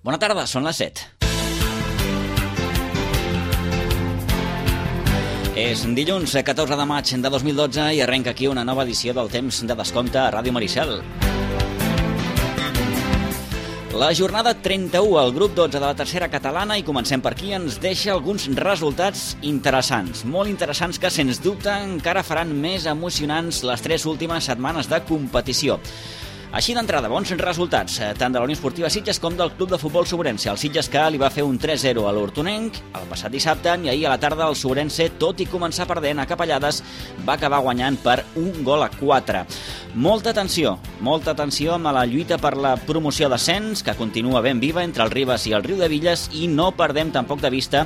Bona tarda, són les 7. És dilluns 14 de maig de 2012 i arrenca aquí una nova edició del Temps de Descompte a Ràdio Maricel. La jornada 31 al grup 12 de la tercera catalana, i comencem per aquí, ens deixa alguns resultats interessants, molt interessants, que sens dubte encara faran més emocionants les 3 últimes setmanes de competició. Així d'entrada, bons resultats, tant de la Unió Esportiva Sitges com del Club de Futbol Sobrense. El Sitges, que li va fer un 3-0 a l'Hortonenc el passat dissabte, i ahir a la tarda el Sobrense, tot i començar perdent a capellades, va acabar guanyant per 1-4. Molta atenció amb la lluita per la promoció d'ascens, que continua ben viva entre el Ribes i el Riudevilles, i no perdem tampoc de vista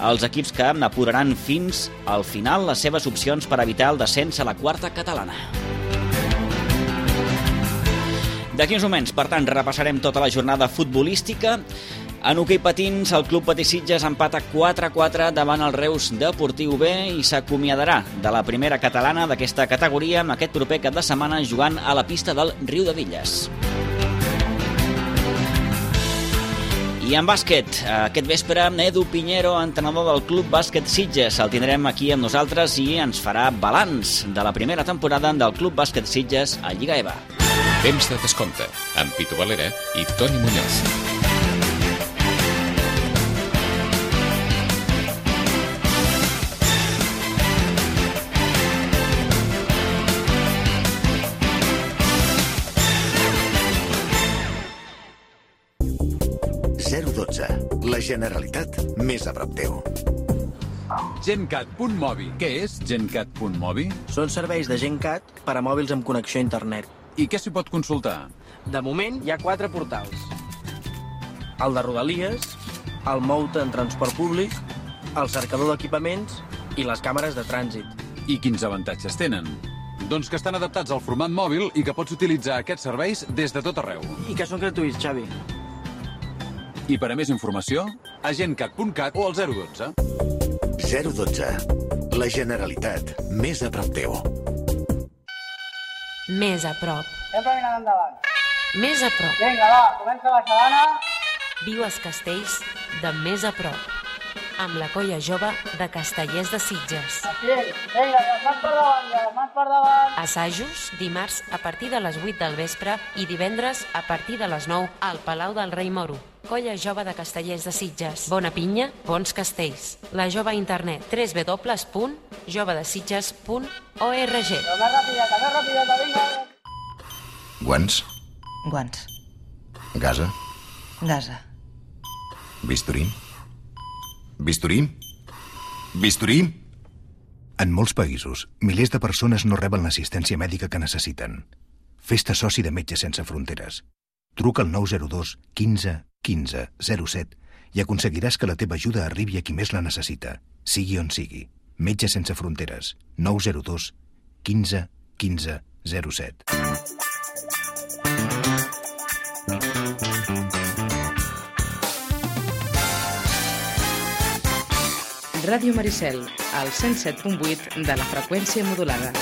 els equips que apuraran fins al final les seves opcions per evitar el descens a la quarta catalana. D'aquí uns moments, per tant, repassarem tota la jornada futbolística. En hoquei patins, el Club Patí Sitges empata 4-4 davant el Reus Deportiu B i s'acomiadarà de la primera catalana d'aquesta categoria amb aquest proper cap de setmana jugant a la pista del Riudevilles. I en bàsquet, aquest vespre, Edu Piñero, entrenador del Club Bàsquet Sitges. El tindrem aquí amb nosaltres i ens farà balanç de la primera temporada del Club Bàsquet Sitges a Lliga EVA. Temps de Descompte, amb Pitu Valera i Toni Muñoz. La Generalitat més a prop teu. GenCat.mobi. Què és GenCat.mobi? Són serveis de GenCat per a mòbils amb connexió a internet. I què s'hi pot consultar? De moment hi ha 4 portals. El de Rodalies, el Moute en transport públic, el cercador d'equipaments i les càmeres de trànsit. I quins avantatges tenen? Doncs que estan adaptats al format mòbil i que pots utilitzar aquests serveis des de tot arreu. I que són gratuïts, Xavi. I per a més informació, a gencat.cat o al 012. 012. La Generalitat més a prop teu. Més a prop. Sempre mirant endavant. Més a prop. Vinga, va, comença la xalana. Viu els castells de més a prop. Amb la colla jove de Castellers de Sitges. Així, vinga, les mans per davant, les mans per davant. Assajos dimarts a partir de les 8 del vespre i divendres a partir de les 9 al Palau del Rei Moro. Colla jove de Castellers de Sitges. Bona pinya, bons castells. La jove a internet www.jovedesitges.org. Més rapideta, vinga. Guants. Guants. Gasa. Gasa. Bisturí. Bisturí. Bisturí. En molts països, milers de persones no reben l'assistència mèdica que necessiten. Fes-te soci de Metges Sense Fronteres. Truca al 902 15 15 07 i aconseguiràs que la teva ajuda arribi a qui més la necessita, sigui on sigui. Metges Sense Fronteres. 902 15 15 07. Ràdio Maricel, al 107.8 de la freqüència modulada.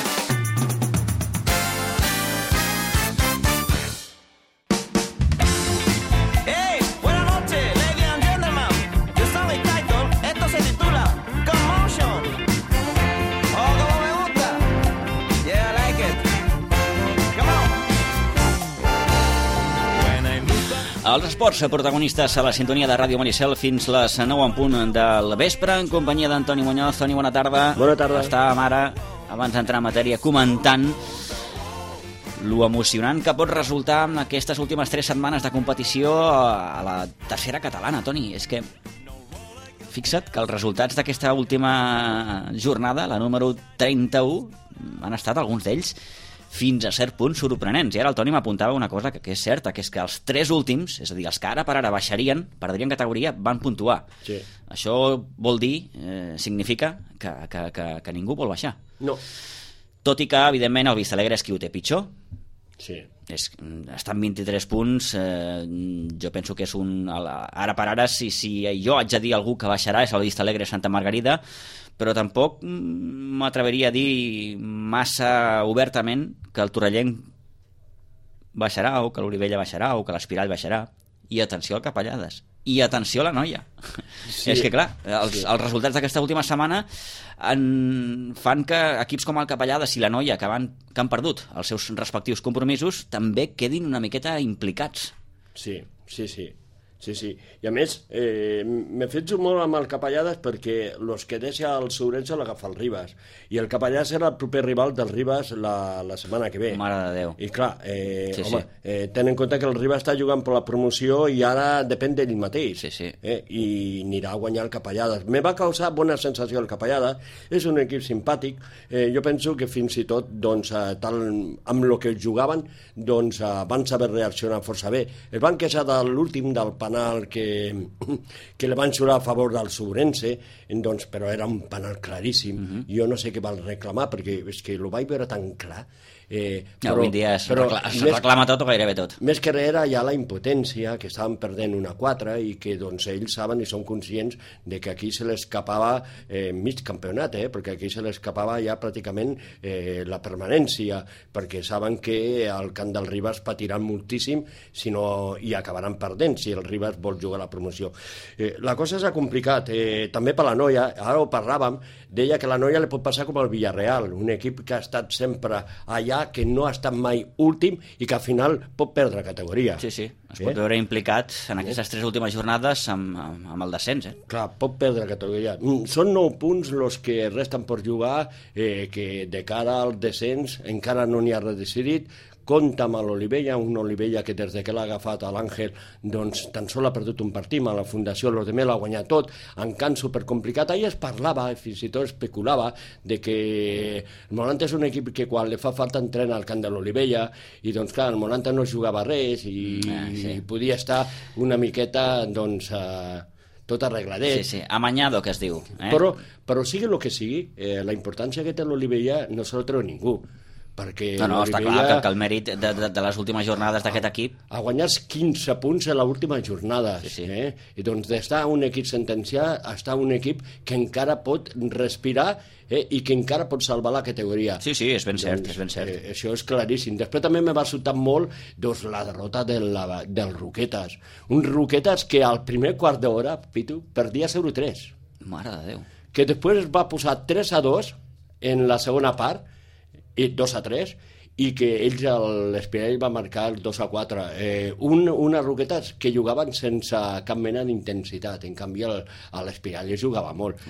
Els esports protagonistes a la sintonia de Ràdio Maricel fins les 9 en punt del vespre, en companyia d'Antoni Muñoz. Toni, bona tarda. Bona tarda. Estàvem ara, abans d'entrar en matèria, comentant lo emocionant que pot resultar en aquestes últimes 3 setmanes de competició a la tercera catalana, Toni. És que fixa't que els resultats d'aquesta última jornada, la número 31, han estat alguns d'ells fins a cert punt sorprenents. I ara el Toni m'apuntava una cosa que és certa, que és que els 3 últims, és a dir, els que ara per ara baixarien, perdrien categoria, van puntuar. Sí. Això vol dir, significa que ningú vol baixar. No. Tot i que, evidentment, el Vistalegre és qui ho té pitjor. Sí. Està en 23 punts, jo penso que és un... Ara per ara, si jo haig de dir algú que baixarà, és el Vistalegre Santa Margarida, però tampoc m'atreveria a dir massa obertament que el Torrellenc baixarà, o que l'Orivella baixarà, o que l'Espirall baixarà. i atenció al Capellades. I atenció a la Noia. Sí. És que, clar, els resultats d'aquesta última setmana fan que equips com el Capellades i la Noia, que han perdut els seus respectius compromisos, també quedin una miqueta implicats. Sí. I a més, m'he fet molt amb el Capellades perquè els que deixa el Sourense l'agafa el Ribas. I el Capellades era el proper rival del Ribas la setmana que ve. Mare de Déu. I clar, ten en compte que el Ribas està jugant per la promoció i ara depèn d'ell mateix. I anirà a guanyar el Capellades. Me va causar bona sensació el Capellades. És un equip simpàtic. Jo penso que fins i tot, amb el que jugaven, van saber reaccionar força bé. Es van queixar de l'últim del penal que li van xurar a favor del Sourense, però era un penal claríssim. Jo no sé què van reclamar, perquè és que ho vaig veure tan clar. Avui dia es reclama tot o gairebé tot. Més que res era ja la impotència, que estaven perdent 1-4 i que ells saben i són conscients de que aquí se l'escapava mig campionat, perquè aquí se l'escapava ja pràcticament la permanència, perquè saben que al camp del Ribas patiran moltíssim i acabaran perdent si el Ribas vol jugar a la promoció. La cosa s'ha complicat, també per la Noia, ara ho parlàvem, deia que la Noia li pot passar com el Villarreal, un equip que ha estat sempre allà, que no ha estat mai últim i que al final pot perdre categoria. Sí, es pot veure implicat en aquestes 3 últimes jornades amb el descens. Clar, pot perdre categoria. Són 9 punts els que resten per jugar, que de cara al descens encara no n'hi ha res decidit. Compta amb l'Olivella, un Olivella que des que l'ha agafat a l'Àngel tan sol ha perdut un partit, a la Fundació los demés l'ha guanyat tot, en camp supercomplicat. Ahir es parlava, fins i tot especulava, de que el Molanta és un equip que quan li fa falta entrena al camp de l'Olivella, i clar, el Molanta no jugava res i podia estar una miqueta tot arregladet. Sí, amanyado, que es diu. Però sigui el que sigui, la importància que té l'Olivella no se la treu ningú. No, està clar que el mèrit de les últimes jornades d'aquest equip ha guanyat 15 punts en l'última jornada. I d'estar un equip sentenciat a estar un equip que encara pot respirar i que encara pot salvar la categoria. Sí, és ben cert. Això és claríssim. Després també m'ha sobtat molt la derrota del Roquetes. Un Roquetes que al primer quart d'hora, Pitu, perdia 0-3. Mare de Déu. Que després va posar 3-2 en la segona part, i 2-3, i que l'Espirall va marcar el 2-4. Una Roquetes que jugaven sense cap mena d'intensitat. En canvi, l'Espirall jugava molt.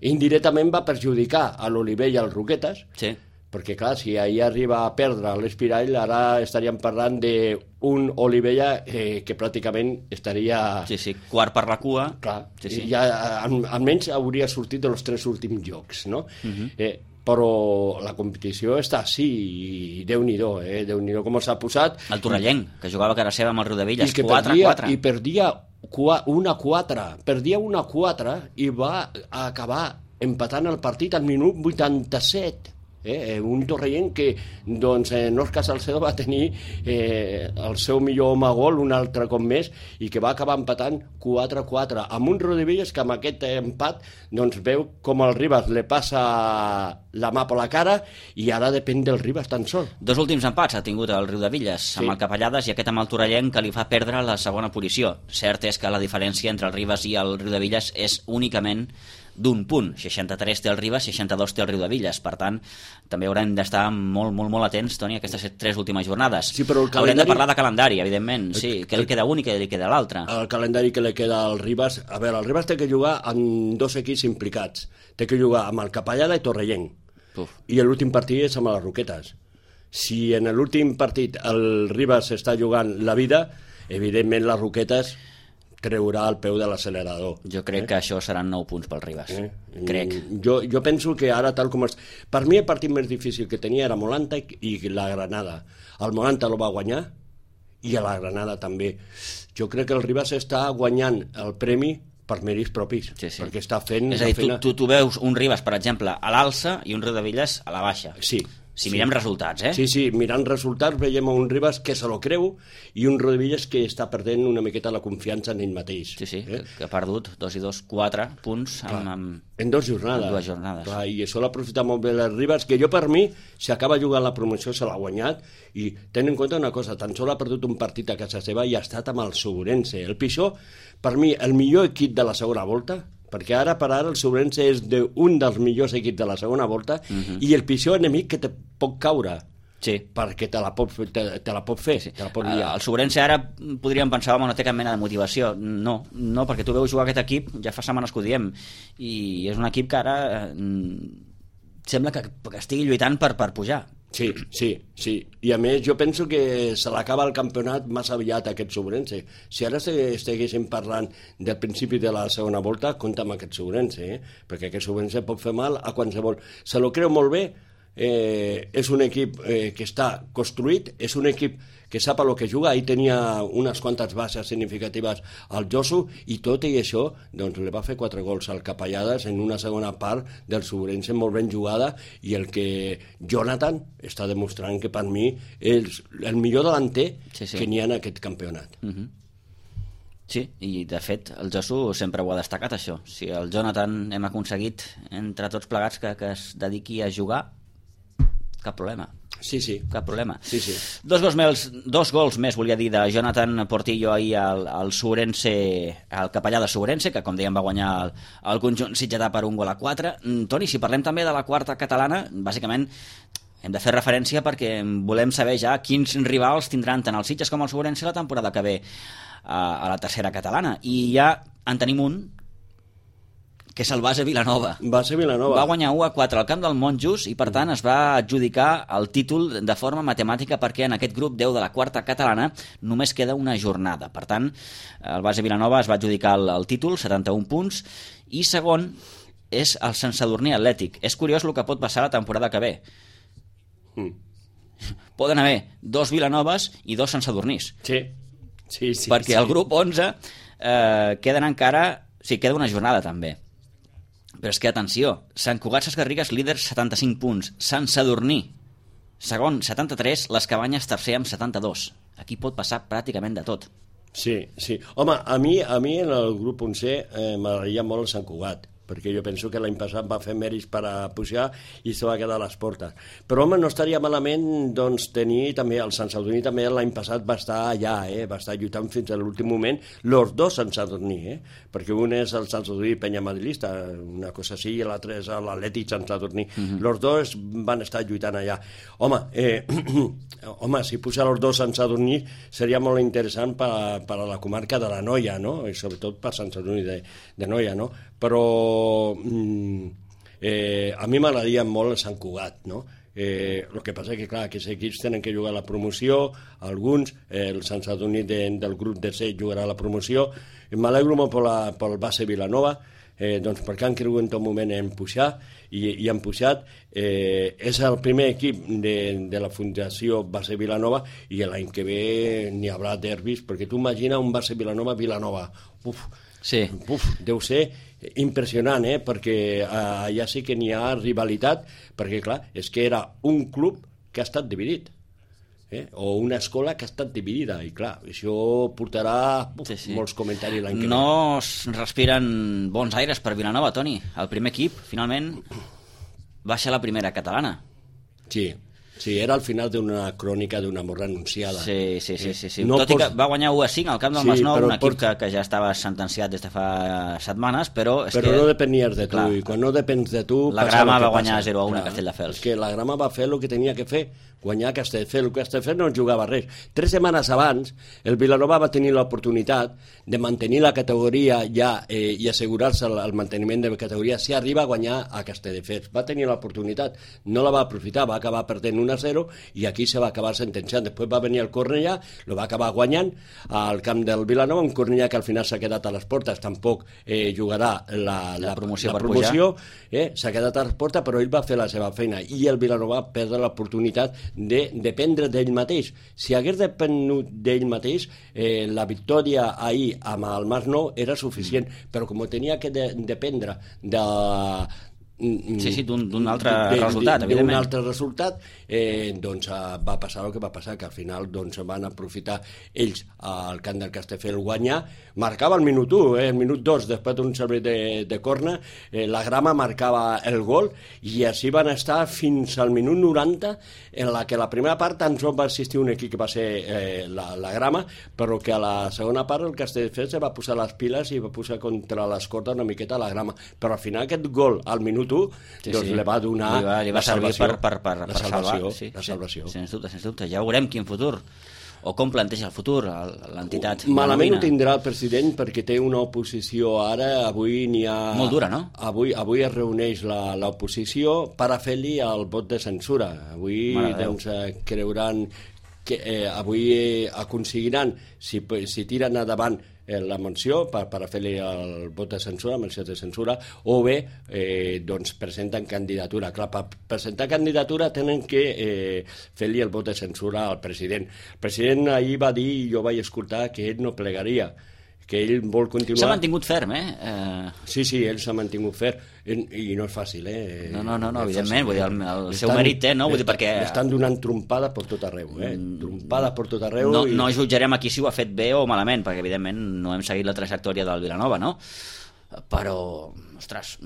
Indirectament va perjudicar a l'Olivella i al Roquetes, perquè, clar, si ahir arriba a perdre l'Espirall, ara estaríem parlant d'un Olivella que pràcticament estaria... quart per la cua. Clar, ja almenys hauria sortit dels 3 últims jocs, no? Però la competició està així i Déu-n'hi-do, Déu-n'hi-do com s'ha posat. El Torrellenc, que jugava a casa seva amb el Riudevilles, 4-4. I perdia 1-4, perdia 1-4 i va acabar empatant el partit al minut 87. Un Torrellenc que Òscar Salcedo va tenir el seu millor home gol un altre cop més i que va acabar empatant 4-4 amb un Riudevilles que amb aquest empat veu com el Ribas li passa la mà per la cara i ara depèn del Ribas tan sol. 2 últims empats ha tingut el Riudevilles amb el Capellades i aquest amb el Torrellenc que li fa perdre la segona posició. Cert és que la diferència entre el Ribas i el Riudevilles és únicament d'un punt, 63 té el Ribas, 62 té el Riudevilles, per tant també haurem d'estar molt atents, Toni, a aquestes 3 últimes jornades. Haurem de parlar de calendari, evidentment, que li queda un i que li queda l'altre. El calendari que li queda al Ribas, a veure, el Ribas té que jugar amb 2 equips implicats, té que jugar amb el Capellada i Torrellenc, i l'últim partit és amb les Roquetes. Si en l'últim partit el Ribas està jugant la vida, evidentment les Roquetes treurà el peu de l'accelerador. Jo crec que això seran 9 punts pel Ribas. Crec. Jo penso que ara, tal com... Per mi el partit més difícil que tenia era Molanta i la Granada. El Molanta el va guanyar i a la Granada també. Jo crec que el Ribas està guanyant el premi per mèrits propis, perquè està fent... És a dir, tu veus un Ribas, per exemple, a l'alça i un Riudevilles a la baixa. Sí, Si mirem resultats, Sí, mirant resultats veiem un Ribas que se lo creu i un Rodríguez que està perdent una miqueta la confiança en ell mateix. Sí, que ha perdut 2 i 2, 4 punts en 2 jornades. En 2 jornades. Clar, i això l'ha aprofitat molt bé el Ribas, que jo per mi, si acaba jugant la promoció, se l'ha guanyat, i ten en compte una cosa, tan sol ha perdut un partit a casa seva i ha estat amb el Segurense. El Pixó, per mi, el millor equip de la segona volta, perquè ara per ara el Segurense és un dels millors equips de la segona volta i el pitjor enemic que te pot caure perquè te la pot fer, te la pot liar. El Segurense ara podríem pensar que no té cap mena de motivació. No, perquè tu veus jugar aquest equip, ja fa setmanes que ho diem, i és un equip que ara sembla que estigui lluitant per pujar. Sí. I a més jo penso que se l'acaba el campionat massa aviat aquest Segurense. Si ara estiguéssim parlant del principi de la segona volta, compta amb aquest Segurense, perquè aquest Segurense pot fer mal a qualsevol. Se lo creu molt bé, és un equip que està construït, és un equip que sap el que juga. Ahir tenia unes quantes bases significatives al Josu i tot i això doncs, li va fer 4 gols al Capellades en una segona part del Segurense molt ben jugada, i el que Jonathan està demostrant que per mi és el millor delanter que n'hi ha en aquest campionat. Sí, i de fet el Josu sempre ho ha destacat, això. Si el Jonathan hem aconseguit entre tots plegats que es dediqui a jugar, cap problema. Sí. Cap problema. Sí. 2 gols més, volia dir, de Jonathan Portillo ahir al Segurense, al Capellà de Segurense, que com dèiem va guanyar el conjunt sitgetà per 1-4. Toni, si parlem també de la quarta catalana, bàsicament hem de fer referència perquè volem saber ja quins rivals tindran tant el Sitges com el Segurense la temporada que ve a la tercera catalana. I ja en tenim un, que és el Base Vilanova. Va guanyar 1-4 al camp del Monjos i per tant es va adjudicar el títol de forma matemàtica, perquè en aquest grup 10 de la quarta catalana només queda una jornada. Per tant, el Base Vilanova es va adjudicar el títol, 71 punts, i segon és el Sant Sadurní Atlètic. És curiós el que pot passar la temporada que ve. Poden haver 2 Vilanoves i 2 Sant Sadurnís. Sí. Perquè al grup 11 queda una jornada també. Però és que, atenció, Sant Cugat Sesgarrigues, líder, 75 punts. Sant Sadurní, segon, 73. Les Cabanyes, tercer, amb 72. Aquí pot passar pràcticament de tot. Sí. Home, a mi en el grup 11 m'agradaria molt el Sant Cugat, perquè jo penso que l'any passat va fer mèrits per a pujar i se va quedar a les portes. Però, home, no estaria malament doncs, tenir també el Sant Sadurní, també l'any passat va estar allà, va estar lluitant fins a l'últim moment, los dos Sant Sadurní, perquè un és el Sant Sadurní Penya Madrilista, una cosa així, i l'altre és l'Atlètic Sant Sadurní. Los dos van estar lluitant allà. Home, si puja los dos Sant Sadurní seria molt interessant per a la comarca de la Noia, no? I sobretot per Sant Sadurní de Noia, no? Però a mi m'agradaria molt el Sant Cugat, no? El que passa és que, clar, aquests equips tenen que jugar a la promoció, alguns, el Sant Sadurní del grup de 7 jugarà a la promoció. M'alegro molt pel Base Vilanova, doncs perquè han cregut en tot moment en pujar i han pujat. És el primer equip de la Fundació Base Vilanova, i l'any que ve n'hi haurà derbis, perquè tu imagina un Base Vilanova. Deu ser impressionant, perquè allà sí que n'hi ha rivalitat, perquè clar, és que era un club que ha estat dividit, o una escola que ha estat dividida, i clar, això portarà molts comentaris l'any que ve. No es respiren bons aires per Vilanova, Toni. El primer equip, finalment, baixa a la primera catalana. Sí, era al final d'una crònica d'un amor renunciada. Sí. No tot i que va guanyar 1-5 al camp del Masnou, un equip que ja estava sentenciat des de fa setmanes, però no depenies de tu, i quan no depens de tu... La Grama va guanyar 0-1 a Castelldefels. És que la Grama va fer el que tenia que fer, guanyar Castelldefels. El Castelldefels no jugava res. 3 setmanes abans, el Vilanova va tenir l'oportunitat de mantenir la categoria ja i assegurar-se el manteniment de la categoria si arriba a guanyar a Castelldefels. Va tenir l'oportunitat, no la va aprofitar, va acabar perdent 1-0 i aquí se va acabar sentenciant. Després va venir el Cornellà, lo va acabar guanyant al camp del Vilanova, un Cornellà que al final s'ha quedat a les portes, tampoc jugarà la promoció, s'ha quedat a les portes, però ell va fer la seva feina i el Vilanova va perdre l'oportunitat de dependre d'ell mateix. Si hagués depenut d'ell mateix, la victòria ahir amb el Masnou era suficient, però com tenia que dependre d'un altre resultat, evidentment. D'un altre resultat, doncs va passar el que va passar, que al final doncs, van aprofitar ells al camp del Castelldefels guanyar, marcava el minut 1, el minut 2, després d'un servei de corna, la Grama marcava el gol, i així van estar fins al minut 90, en la que la primera part tan sols va assistir un equip que va ser la Grama, però que a la segona part el Castelldefels va posar les piles i va posar contra les cordes una miqueta a la Grama, però al final aquest gol al minut 1 doncs li va donar li va servir per salvar, sí, la salvació. Sens dubte, ja veurem quin futur o com planteja el futur l'entitat. Malament ho tindrà el president perquè té una oposició ara, avui n'hi ha... Molt dura, no? Avui es reuneix l'oposició per a fer-li el vot de censura. Avui doncs, creuran que avui aconseguiran, si tiren endavant la menció per a fer-li el vot de censura, menció de censura, o bé doncs presenten candidatura. Clar, per presentar candidatura tenen que fer-li el vot de censura al president. El president ahir va dir, i jo vaig escoltar, que ell no plegaria, que ell vol continuar... S'ha mantingut ferm, Sí, ell s'ha mantingut ferm, i no és fàcil, No, evidentment, vull dir, el seu mèrit té, no? Vull dir, perquè... Estan donant trompades per tot arreu, trompades per tot arreu... No jutjarem aquí si ho ha fet bé o malament, perquè evidentment no hem seguit la trajectòria del Vilanova, no? Però, ostres,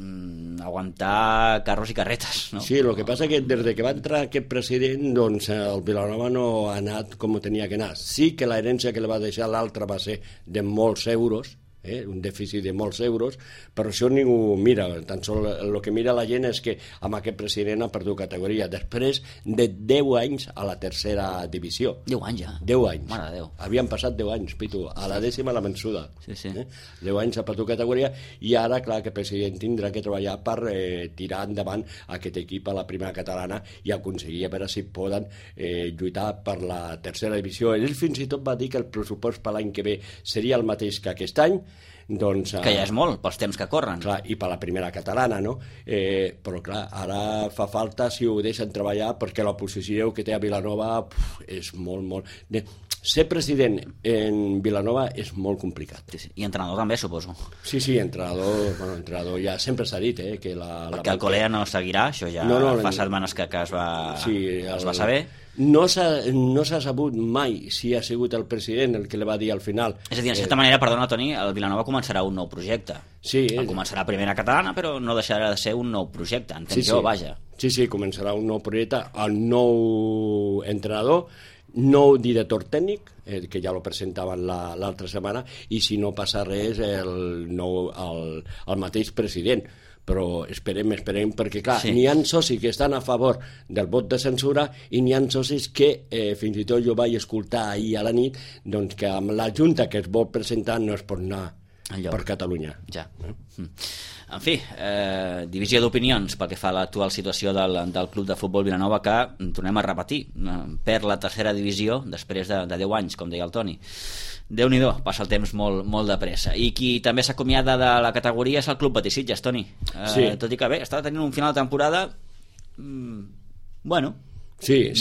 aguantar carros i carretes, no? Sí, el que passa que des que va entrar aquest president, doncs el Vilanova no ha anat com tenia que anar. Sí que l'herència que li va deixar l'altre va ser de molts euros, un dèficit de molts euros, però això ningú mira, tan sol el que mira la gent és que amb aquest president ha perdut categoria després de 10 anys a la tercera divisió. 10 anys ja? 10 anys. Mare de Déu. Havien passat 10 anys, Pitu, a la dècima la vençuda. Sí. 10 anys ha perdut categoria i ara, clar, que el president tindrà que treballar per tirar endavant aquest equip a la primera catalana i aconseguir a veure si poden lluitar per la tercera divisió. Ell fins i tot va dir que el pressupost per l'any que ve seria el mateix que aquest any, doncs, que ja és molt pels temps que corren, clar, i per la primera catalana, no? Però clar, ara fa falta si ho deixen treballar, perquè l'oposició que té a Vilanova és molt... Ser president en Vilanova és molt complicat. Sí. I entrenador també, suposo. Sí, entrenador ja sempre s'ha dit, que perquè el Colea no seguirà, això ja fa setmanes que es va saber. No s'ha sabut mai si ha sigut el president el que li va dir al final. És a dir, en certa manera, perdona, Toni, el Vilanova començarà un nou projecte. Sí. Començarà primera catalana, però no deixarà de ser un nou projecte, entenc jo, vaja. Sí, començarà un nou projecte, el nou entrenador, nou director tècnic, que ja lo presentaven l'altra setmana, i si no passa res, el mateix president. Però esperem, perquè clar, n'hi ha socis que estan a favor del vot de censura i n'hi ha socis que fins i tot jo vaig escoltar ahir a la nit doncs que amb la Junta que es vol presentar no es pot anar per Catalunya. Ja. En fi, divisió d'opinions pel que fa a l'actual situació del Club de Futbol Vilanova, que, tornem a repetir, perd la tercera divisió després de 10 anys, com deia el Toni. Déu-n'hi-do, passa el temps molt de pressa. I qui també s'acomiada de la categoria és el Club Betis Sitges, Toni. Tot i que bé, està tenint un final de temporada bueno. Sí.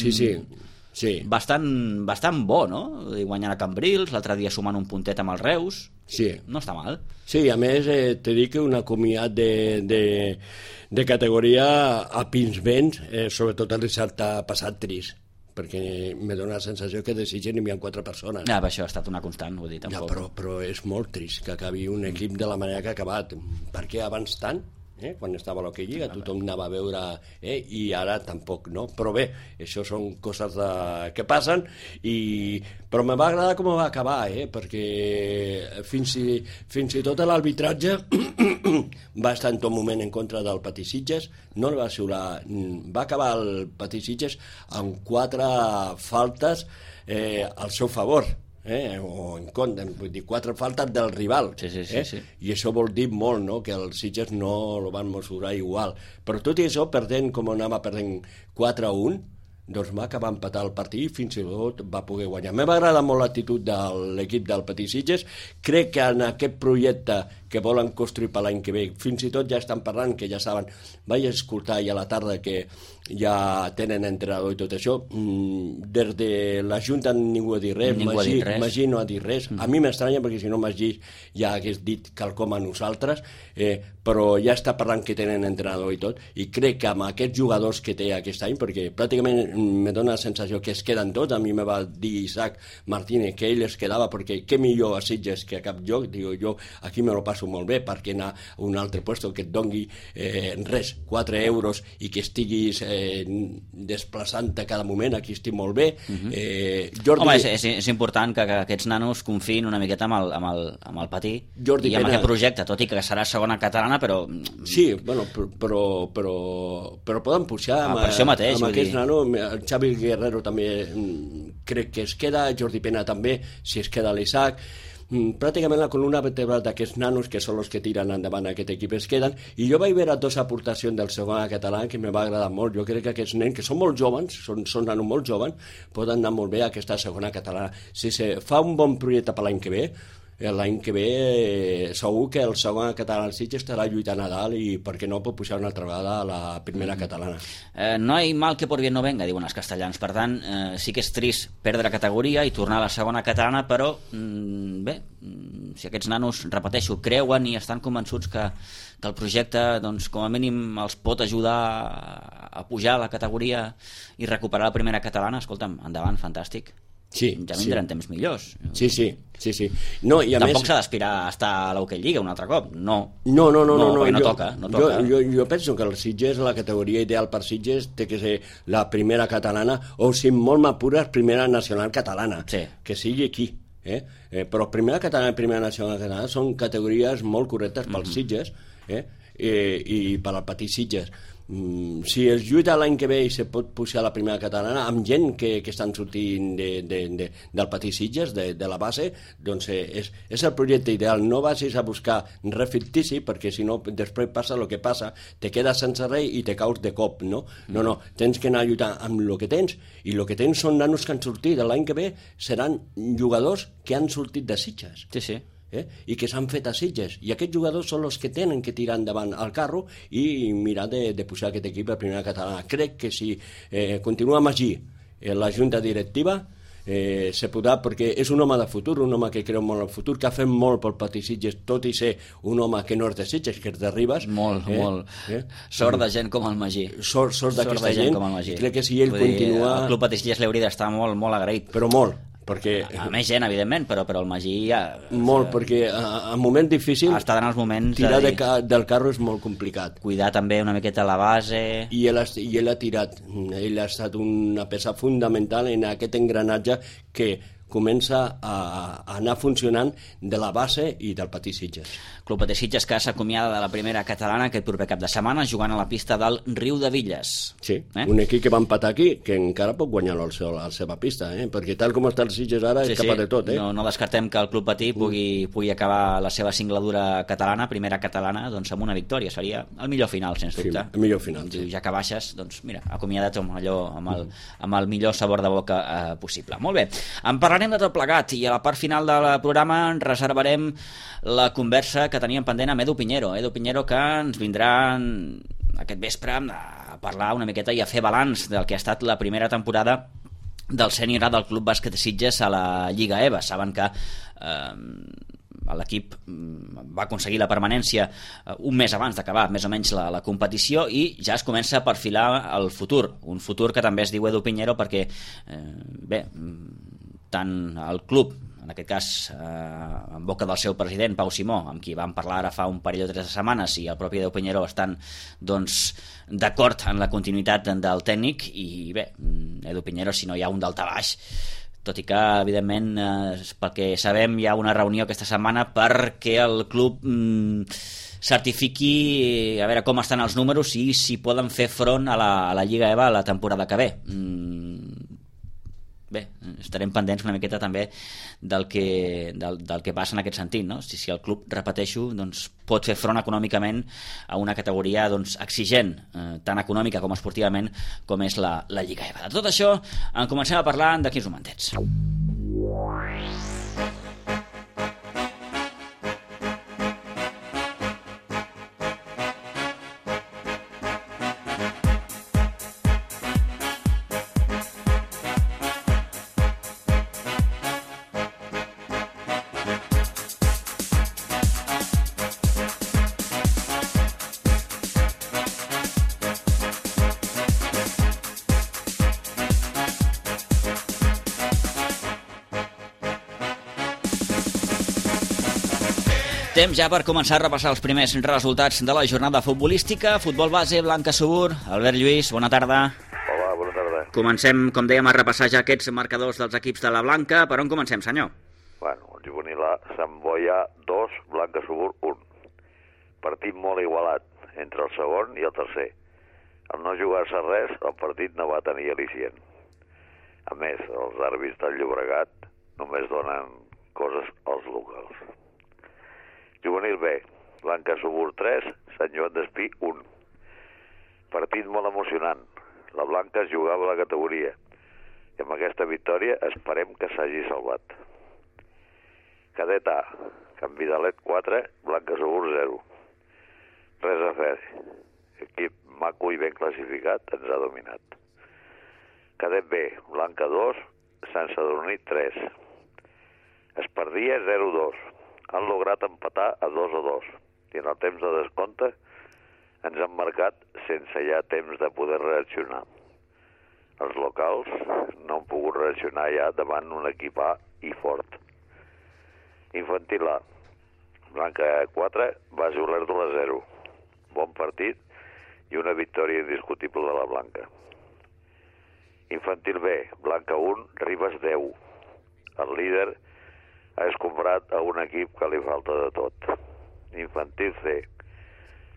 Bastant bo, no? Guanyant a Cambrils, l'altre dia sumant un puntet amb el Reus. Sí. No està mal. Sí, a més, t'he dit que un acomiat de categoria a Pinsbens, sobretot el dissabte passat trist, perquè me dóna la sensació que de Sitges n'hi havia 4 persones. Això ha estat una constant, vull dir, tampoc. Però és molt trist que acabi un equip de la manera que ha acabat. Per què abans tant? Quan estava a l'Hockey Lliga tothom anava a veure i ara tampoc, no? Però bé, això són coses que passen però me va agradar com va acabar, perquè fins i tot l'arbitratge va estar en tot moment en contra del Betis Sitges, no va xiular, va acabar el Betis Sitges amb 4 faltes al seu favor, o en contra, vull dir, 4 faltes del rival. Sí. I això vol dir molt, no? Que els Sitges no el van mesurar igual, però tot i això, perdent com anava perdent 4-1, doncs va acabar empatar el partit i fins i tot va poder guanyar. M'ha agradat molt l'actitud de l'equip del Betis Sitges. Crec que en aquest projecte que volen construir per l'any que ve. Fins i tot ja estan parlant, que ja saben, vaig escoltar ja a la tarda que ja tenen entrenador i tot això. Des de la Junta ningú ha dit res, Magí no ha dit res. A mi m'estranya perquè si no Magí ja hagués dit quelcom a nosaltres, però ja està parlant que tenen entrenador i tot, i crec que amb aquests jugadors que té aquest any, perquè pràcticament me dona la sensació que es queden tots. A mi me va dir Isaac Martínez que ell es quedava perquè què millor a Sitges que a cap lloc. Digo, jo aquí me lo passo molt bé, perquè anar a un altre puesto que et dongui res, 4 euros i que estiguis desplaçant-te cada moment, aquí estic molt bé. Jordi... Home, és important que aquests nanos confiïn una miqueta amb el patí Jordi i amb aquest projecte, tot i que serà segona catalana, però... Sí, bueno, però poden pujar amb aquests nanos. El Xavi Guerrero també crec que es queda, Jordi Pena també, si es queda l'Isaac. Pràcticament la columna vertebral d'aquests nanos, que són els que tiren endavant aquest equip, es queden. I jo vaig veure 2 aportacions del segon català que me va agradar molt. Jo crec que aquests nens, que són molt joves, són nanos molt joves, poden anar molt bé a aquesta segona catalana. Si se fa un bon projecte per l'any que ve, segur que el segon català al Sitges estarà lluitant a dalt i per què no pot pujar una altra vegada a la primera catalana. No hay mal que por bien no venga, diuen els castellans. Per tant, sí que és trist perdre categoria i tornar a la segona catalana, però bé, si aquests nanos, repeteixo, creuen i estan convençuts que el projecte, doncs, com a mínim els pot ajudar a pujar a la categoria i recuperar la primera catalana, escolta'm, endavant, fantàstic. Sí, ja vindran temps millors. Sí. No, i a tampoc més... s'ha d'aspirar a estar a l'Hockey Lliga un altre cop, no. No, perquè no toca. Jo penso que el Sitges, la categoria ideal per Sitges, té que ser la primera catalana, o si molt m'apures, primera nacional catalana, que sigui aquí. Però primera catalana i primera nacional catalana són categories molt correctes pels Sitges i per al petit Sitges. Si es lluita l'any que ve i se pot pujar a la primera catalana amb gent que estan sortint del petit Sitges, de la base, doncs és el projecte ideal. No vagis a buscar res fictici, perquè si no després passa el que passa, te quedes sense res i te caus de cop, no? No, tens que anar a lluitar amb el que tens, i el que tens són nanos que han sortit. L'any que ve seran jugadors que han sortit de Sitges. Sí. I que s'han fet a Sitges, i aquests jugadors són els que tenen que tirar endavant el carro i mirar de pujar aquest equip a primera catalana. Crec que si continua Magí la junta directiva se podrà, perquè és un home de futur, un home que creu molt en el futur, que ha fet molt pel petit Sitges, tot i ser un home que no és de Sitges, que és de Ribes. Molt. Sort de gent com el Magí. Sort d'aquesta gent. Crec que si ell continua... El Club Patí Sitges li hauria d'estar molt agraït. Però molt. Perquè, a més gent, evidentment, però el Magí ja... Molt, perquè en moments difícils està en els moments tirar del carro és molt complicat. Cuidar també una miqueta la base... I ell ha tirat. Ell ha estat una peça fundamental en aquest engranatge que comença a anar funcionant de la base i del Patí Sitges. Club Patí Sitges que s'acomiada de la primera catalana aquest proper cap de setmana jugant a la pista del Riu de Villes. Sí, un equip que va empatar aquí, que encara pot guanyar-lo a la seva pista, perquè tal com està el Sitges ara és capaç de tot. No descartem que el Club Patí pugui acabar la seva singladura catalana, primera catalana, doncs amb una victòria. Seria el millor final, sens dubte. Sí, el millor final. Ja que baixes, doncs mira, acomiada't amb el millor sabor de boca possible. Molt bé, en parlarem de tot plegat i a la part final del programa reservarem la conversa que teníem pendent amb Edu Piñero. Edu Piñero, que ens vindrà aquest vespre a parlar una miqueta i a fer balanç del que ha estat la primera temporada del sènior A del Club Bàsquet Sitges a la Lliga EVA. Saben que l'equip va aconseguir la permanència un mes abans d'acabar més o menys la competició i ja es comença a perfilar el futur, un futur que també es diu Edu Piñero perquè tant el club, en aquest cas en boca del seu president Pau Simó, amb qui vam parlar ara fa un parell o 3 setmanes, i el propi Edu Piñero estan d'acord en la continuïtat del tècnic. I bé, Edu Piñero, si no hi ha un daltabaix, tot i que evidentment pel que sabem hi ha una reunió aquesta setmana perquè el club certifiqui a veure com estan els números i si poden fer front a la Lliga EVA la temporada que ve. Bé, estarem pendents una miqueta també del que passa en aquest sentit, no? Si el club, repeteixo, doncs, pot fer front econòmicament a una categoria exigent, tant econòmica com esportivament, com és la Lliga EVA. De tot això en comencem a parlar d'aquí uns momentets. Temps ja per començar a repassar els primers resultats de la jornada futbolística. Futbol base, Blanca Subur. Albert Lluís, bona tarda. Hola, bona tarda. Comencem, com dèiem, a repassar ja aquests marcadors dels equips de la Blanca. Per on comencem, senyor? Bueno, el juvenil A, Sant Boià 2, Blanca Subur 1. Partit molt igualat entre el segon i el tercer. Al no jugar-se res, el partit no va tenir al·licient. A més, els àrbitres del Llobregat només donen coses als locals. Juvenil B, Blanca Subur 3, Sant Joan d'Espí 1. Partit molt emocionant. La Blanca es jugava a la categoria i amb aquesta victòria esperem que s'hagi salvat. Cadet A, Can Vidalet 4, Blanca Subur 0. Res a fer. Equip maco i ben classificat ens ha dominat. Cadet B, Blanca 2, Sant Sadurní 3. Espardia 0-2. Han lograt empatar a 2-2 i en el temps de descompte ens han marcat sense ja temps de poder reaccionar. Els locals no han pogut reaccionar ja davant un equip A i fort. Infantil A, Blanca 4, Base Olèrdola 0. Bon partit i una victòria indiscutible de la Blanca. Infantil B, Blanca 1, Ribes 10. El líder ha escombrat a un equip que li falta de tot. Infantil C,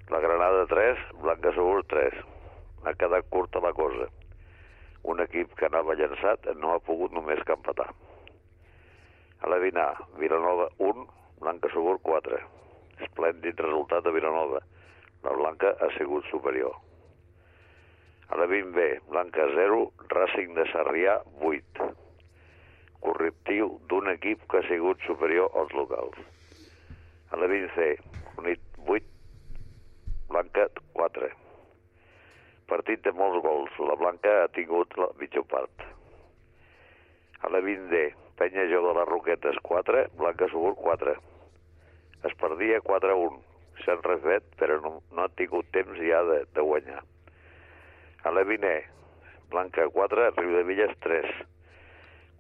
la Granada 3, Blanca Subur 3. Ha quedat curta la cosa. Un equip que anava llançat no ha pogut només que empatar. A la Vina, Vilanova 1, Blanca Subur 4. Esplèndid resultat de Vilanova. La Blanca ha sigut superior. A la 20B, Blanca 0, Racing de Sarrià 8. Correctiu d'un equip que ha sigut superior als locals. A la 20C, Unit 8, Blanca 4. Partit de molts gols. La Blanca ha tingut la mitja part. A la 20D, Penya Jove de les Roquetes 4, Blanca Subur 4. Es perdia 4-1. S'han refet, però no ha tingut temps ja de guanyar. A la 20E, Blanca 4, Riudevilles 3.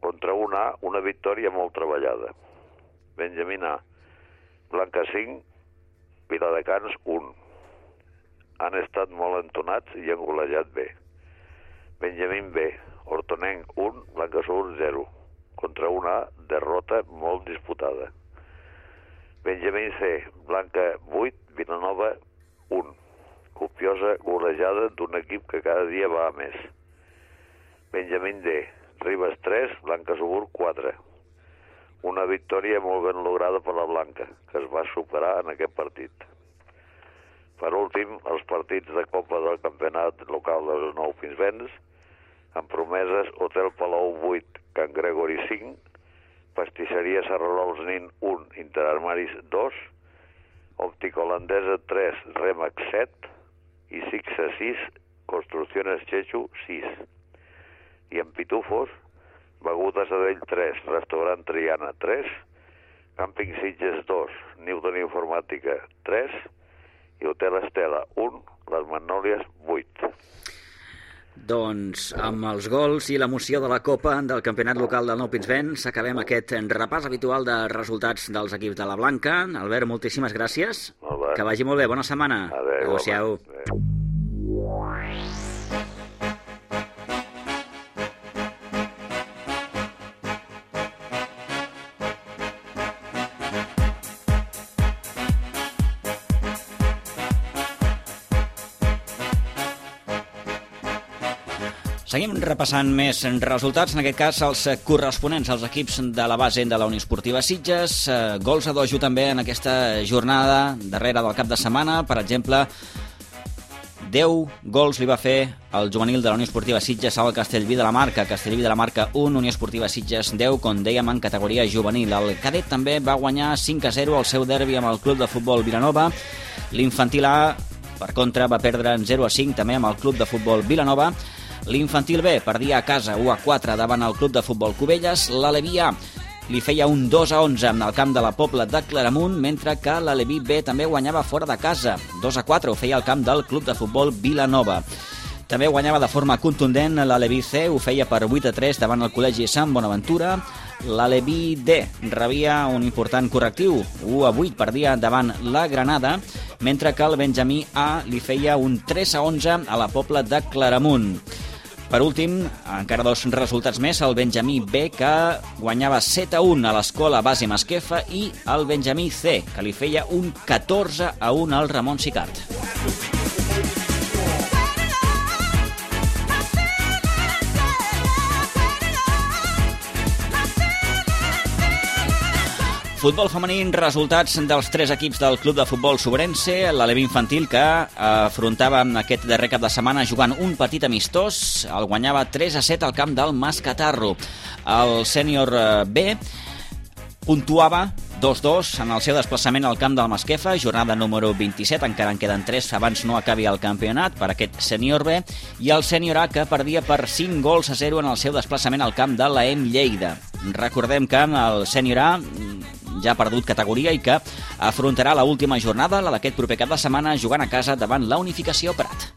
Contra un A, una victòria molt treballada. Benjamín A, Blanca 5, Viladecans 1. Han estat molt entonats i han golejat bé. Benjamín B, Hortonenc 1, Blanca Subur 0. Contra un A, derrota molt disputada. Benjamín C, Blanca 8, Vilanova 1. Copiosa golejada d'un equip que cada dia va a més. Benjamín D, Ribes 3, Blanca Subur 4. Una victòria molt ben lograda per la Blanca, que es va superar en aquest partit. Per últim, els partits de Copa del Campionat Local dels Nou Pinsbens, amb promeses Hotel Palau 8, Can Gregori 5, Pastisseria Serrarols Nin 1, Interarmaris 2, Òptica Holandesa 3, Remax 7 i Sixa 6, Construcciones Chechu 6. I en Pitufos, Begudes Adell 3, Restaurant Triana 3, Càmping Sitges 2, Newton Informàtica 3 i Hotel Estela 1, Les Magnòlies 8. Doncs amb els gols i l'emoció de la Copa del Campionat Local del Nou Pinsbens acabem aquest repàs habitual de resultats dels equips de la Blanca. Albert, moltíssimes gràcies. Que vagi molt bé, bona setmana. Adéu-siau. Seguim repassant més resultats, en aquest cas els corresponents als equips de la base de la Unió Esportiva Sitges. Gols a dojo també en aquesta jornada darrere del cap de setmana. Per exemple, 10 gols li va fer el juvenil de la Unió Esportiva Sitges al Castellví de la Marca. Castellví de la Marca 1, Unió Esportiva Sitges 10, com dèiem, en categoria juvenil. El cadet també va guanyar 5-0 el seu derbi amb el club de futbol Vilanova. L'infantil A, per contra, va perdre 0-5 també amb el club de futbol Vilanova. L'infantil B perdia a casa 1-4 davant el club de futbol Cubelles. L'Aleví A li feia un 2-11 en el camp de la Pobla de Claramunt, mentre que l'Aleví B també guanyava fora de casa. 2-4 ho feia al camp del club de futbol Vilanova. També guanyava de forma contundent l'Aleví C, ho feia per 8-3 davant el Col·legi Sant Bonaventura. l'Aleví D rebia un important correctiu, 1-8 perdia davant la Granada, mentre que el Benjamí A li feia un 3-11 a la Pobla de Claramunt. Per últim, encara dos resultats més, el Benjamí B, que guanyava 7-1 a l'Escola Base Masquefa, i el Benjamí C, que li feia un 14-1 al Ramon Sicart. Futbol femení, resultats dels tres equips del Club de Futbol Sobrense, l'Aleví Infantil, que afrontava aquest darrer cap de setmana jugant un partit amistós, el guanyava 3-7 al camp del Mascatarro. El sènior B puntuava 2-2 en el seu desplaçament al camp del Masquefa, jornada número 27, encara en queden 3 abans no acabi el campionat per aquest sènior B, i el sènior A, que perdia per 5-0 en el seu desplaçament al camp de l'EM Lleida. Recordem que el sènior A ja ha perdut categoria i que afrontarà l'última jornada, la d'aquest proper cap de setmana, jugant a casa davant la Unificació Prat.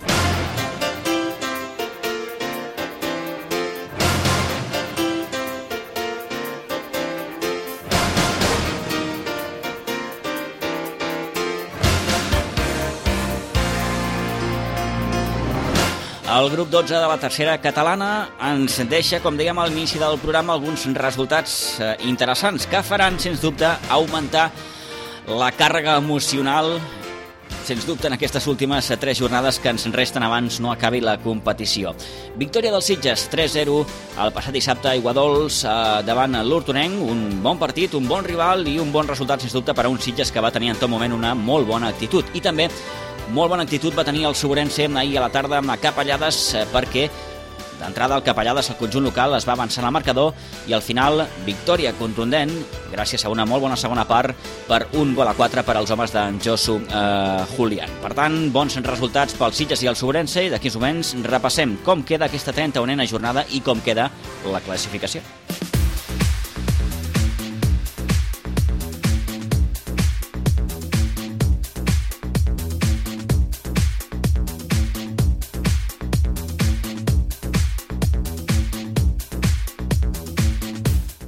El grup 12 de la tercera catalana ens deixa, com dèiem al inici del programa, alguns resultats interessants que faran, sens dubte, augmentar la càrrega emocional, sens dubte, en aquestes últimes 3 jornades que ens resten abans no acabi la competició. Victòria dels Sitges, 3-0 el passat dissabte a Aiguadols davant l'Hortonenc, un bon partit, un bon rival i un bon resultat, sens dubte, per a un Sitges que va tenir en tot moment una molt bona actitud. I també molt bona actitud va tenir el Sobrense ahir a la tarda a Capellades, perquè d'entrada el Capellades, el conjunt local, es va avançar en el marcador i al final victòria contundent gràcies a una molt bona segona part per 1-4 per als homes d'en Josu Julián. Per tant, bons resultats pels Sitges i el Sobrense, i d'aquí uns moments repassem com queda aquesta 31a jornada i com queda la classificació.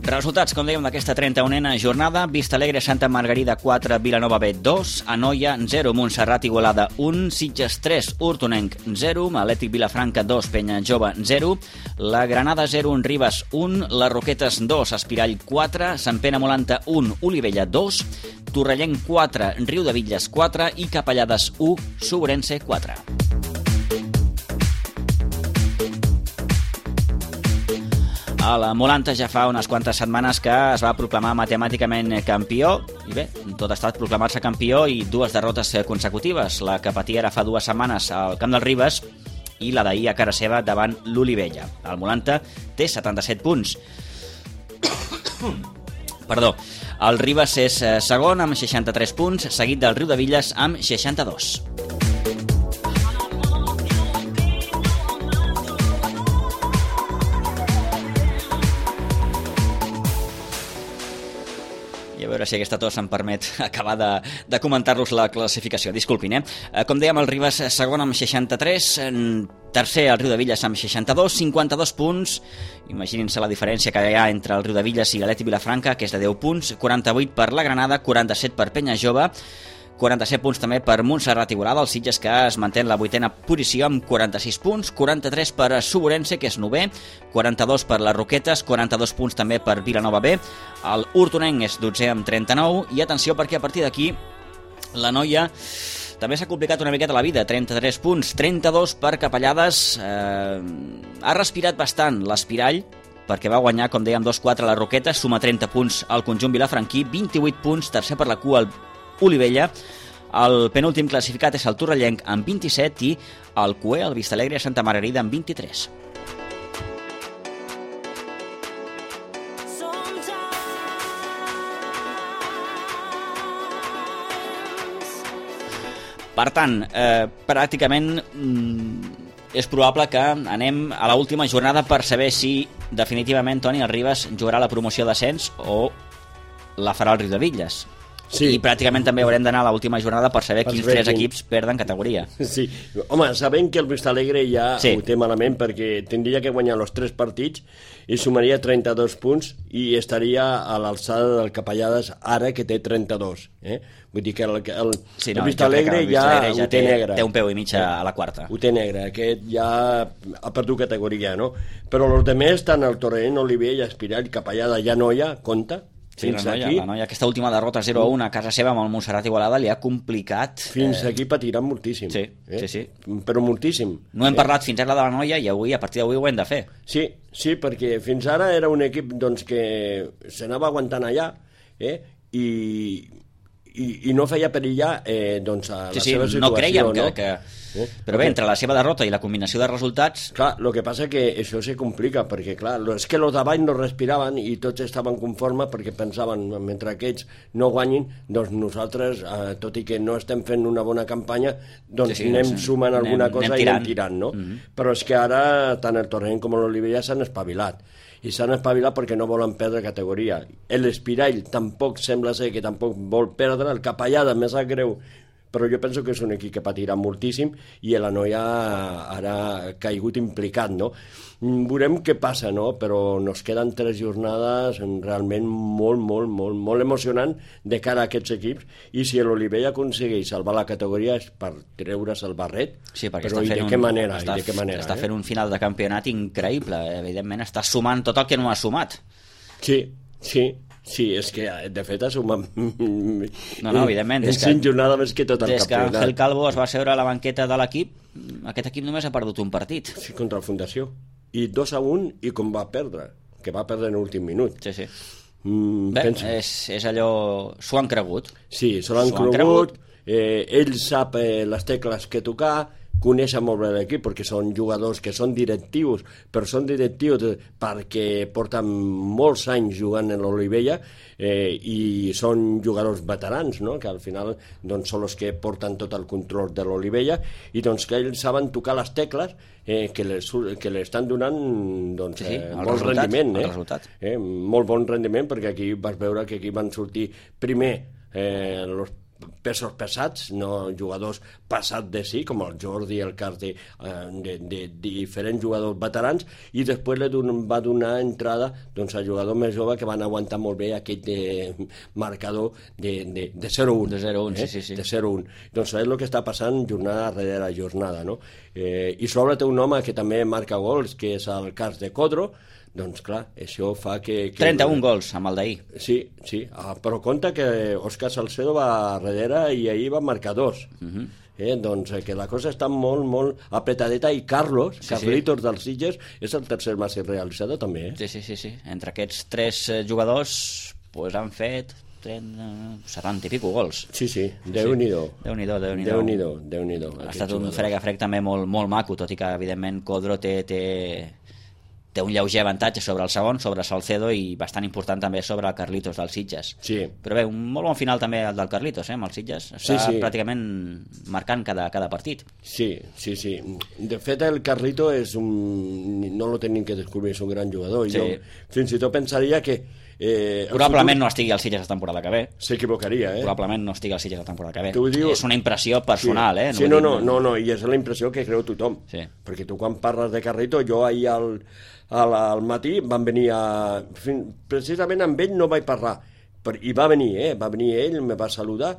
Resultats, com dèiem, d'aquesta 31a jornada: Vista Alegre, Santa Margarida 4, Vilanova B 2, Anoia 0, Montserrat Igualada 1, Sitges 3, Hortonenc 0, Atlètic Vilafranca 2, Penya Jove 0, la Granada 0, Ribes 1, les Roquetes 2, Espirall 4, Sant Pere Molanta 1, Olivella 2, Torrellenc 4, Riudebitlles 4 i Capellades 1, Sobrense 4. A la Molanta ja fa unes quantes setmanes que es va proclamar matemàticament campió, i bé, tot ha estat proclamar-se campió i 2 derrotes consecutives, la que patia ara fa 2 setmanes al camp del Ribes i la d'ahir a cara seva davant l'Olivella. El Molanta té 77 punts. Perdó, el Ribes és segon amb 63 punts, seguit del Riudebitlles amb 62. A veure si aquesta tos em permet acabar de comentar-los la classificació. Disculpin, Com dèiem, el Ribes segon amb 63, tercer el Riudebitlles amb 62, 52 punts. Imaginin-se la diferència que hi ha entre el Riudebitlles i l'Atlètic Vilafranca, que és de 10 punts, 48 per la Granada, 47 per Penya Jove, 47 punts també per Montserrat Igualada, el Sitges, que es manté en la 8a posició amb 46 punts, 43 per Sobrense, que és 9è, 42 per les Roquetes, 42 punts també per Vilanova B, el Hortonenc és 12è amb 39, i atenció perquè a partir d'aquí la Noia també s'ha complicat una miqueta la vida, 33 punts, 32 per Capellades, ha respirat bastant l'Espirall, perquè va guanyar, com dèiem, 2-4 a les Roquetes, suma 30 punts al conjunt vilafranquí, 28 punts, tercer per la cua el Olivella, el penúltim classificat és el Torrellenc amb 27 i el cuer, el Vista Alegre, Santa Margarida amb 23. Per tant, pràcticament és probable que anem a l'última jornada per saber si definitivament Toni el Ribes jugarà la promoció d'ascens o la farà el Riudebitlles. Sí. I pràcticament també haurem d'anar a l'última jornada per saber quins 3 equips perden categoria. Sí, home, sabem que el Vistalegre ja ho té malament perquè tindria que guanyar els 3 partits i sumaria 32 punts i estaria a l'alçada del Capellades ara que té 32. Vull dir que el Vistalegre ja ho té negre. Té un peu i mig a la quarta. Ho té negre, aquest ja ha perdut categoria, no? Però els altres, tant el Torrent, Oliver i Espirall, Capellada i Anoia, compta. Sí, la noia, aquesta última derrota 0-1 a casa seva amb el Montserrat Igualada li ha complicat... Fins aquí patiran moltíssim. Sí. Però moltíssim. No hem parlat fins ara de la noia i avui, a partir d'avui ho hem de fer. Sí, perquè fins ara era un equip doncs, que s'anava aguantant allà i no feia perillar doncs, a la seva situació. No creiem que... Però bé, entre la seva derrota i la combinació de resultats... Clar, el que passa que això se complica, perquè clar, és que els d'avall no respiraven i tots estaven conformes perquè pensaven, mentre aquests no guanyin, doncs nosaltres, tot i que no estem fent una bona campanya, doncs anem sumant alguna cosa i anem tirant, no? Però és que ara tant el Torrent com l'Olivella s'han espavilat. I s'han espavilat perquè no volen perdre categoria. L'Espirall tampoc sembla ser que tampoc vol perdre, el Capellada més sap greu, però jo penso que és un equip que patirà moltíssim i la noia ara ha caigut implicat, no? Veurem què passa, no? Però nos queden 3 jornades realment molt emocionant de cara a aquests equips i si l'Olivella aconsegueix salvar la categoria és per treure's el barret, però i de què manera? Està fent un final de campionat increïble, evidentment està sumant tot el que no ha sumat. Sí, és que de fet ha sumat evidentment, en 5 jornades més que tot el campionat. Des que Ángel Calvo es va seure a la banqueta de l'equip, aquest equip només ha perdut un partit. Sí, contra el Fundació. I 2-1 i com va perdre, que va perdre en l'últim minut. Sí. Bé, és allò... S'ho han cregut. Sí, s'ho han cregut. Ell sap les tecles que tocar, conèixer molt bé l'equip perquè són jugadors que són directius, però són directius perquè porten molts anys jugant en l'Olivella i són jugadors veterans, no? Que al final doncs, són els que porten tot el control de l'Olivella i doncs, que ells saben tocar les tecles que li estan donant doncs, molt rendiment. Molt bon rendiment perquè aquí vas veure que aquí van sortir primer els pesos pesats, no jugadors passats de sí, com el Jordi, el Carti, de diferents jugadors veterans, i després va donar entrada doncs, a jugadors més joves que van aguantar molt bé aquest marcador de 0-1. De 0-1, sí. De 0-1. Doncs és el que està passant jornada rere jornada, no? I sobre té un home que també marca gols, que és el cas de Codro. Doncs clar, això fa que 31 gols amb el d'ahir. Sí, però compte que Òscar Salcedo va darrere i ahir va marcar 2. Doncs que la cosa està molt apretadeta i Carlitos dels Sitges és el tercer màxim realitzador també. Sí. Entre aquests 3 jugadors han fet 70 i pico gols. Sí, Déu-n'hi-do. Déu-n'hi-do. Ha estat un frega-frec també molt maco, tot i que evidentment Codro té un lleuger avantatge sobre el segon, sobre Salcedo, i bastant important també sobre el Carlitos dels Sitges. Sí. Però bé, un molt bon final també el del Carlitos, amb els Sitges. Està pràcticament marcant cada partit. Sí. De fet, el Carlito és no lo tenim que descobrir, és un gran jugador. Jo fins i tot pensaria que probablement no estigui al Sitges la temporada que ve. S'equivocaria, Probablement no estigui al Sitges la temporada que ve. És una impressió personal, No, i és la impressió que creu tothom. Perquè tu quan parles de Carlito, jo ahir al matí van venir precisament amb ell no vaig parlar, i va venir ell, me va saludar,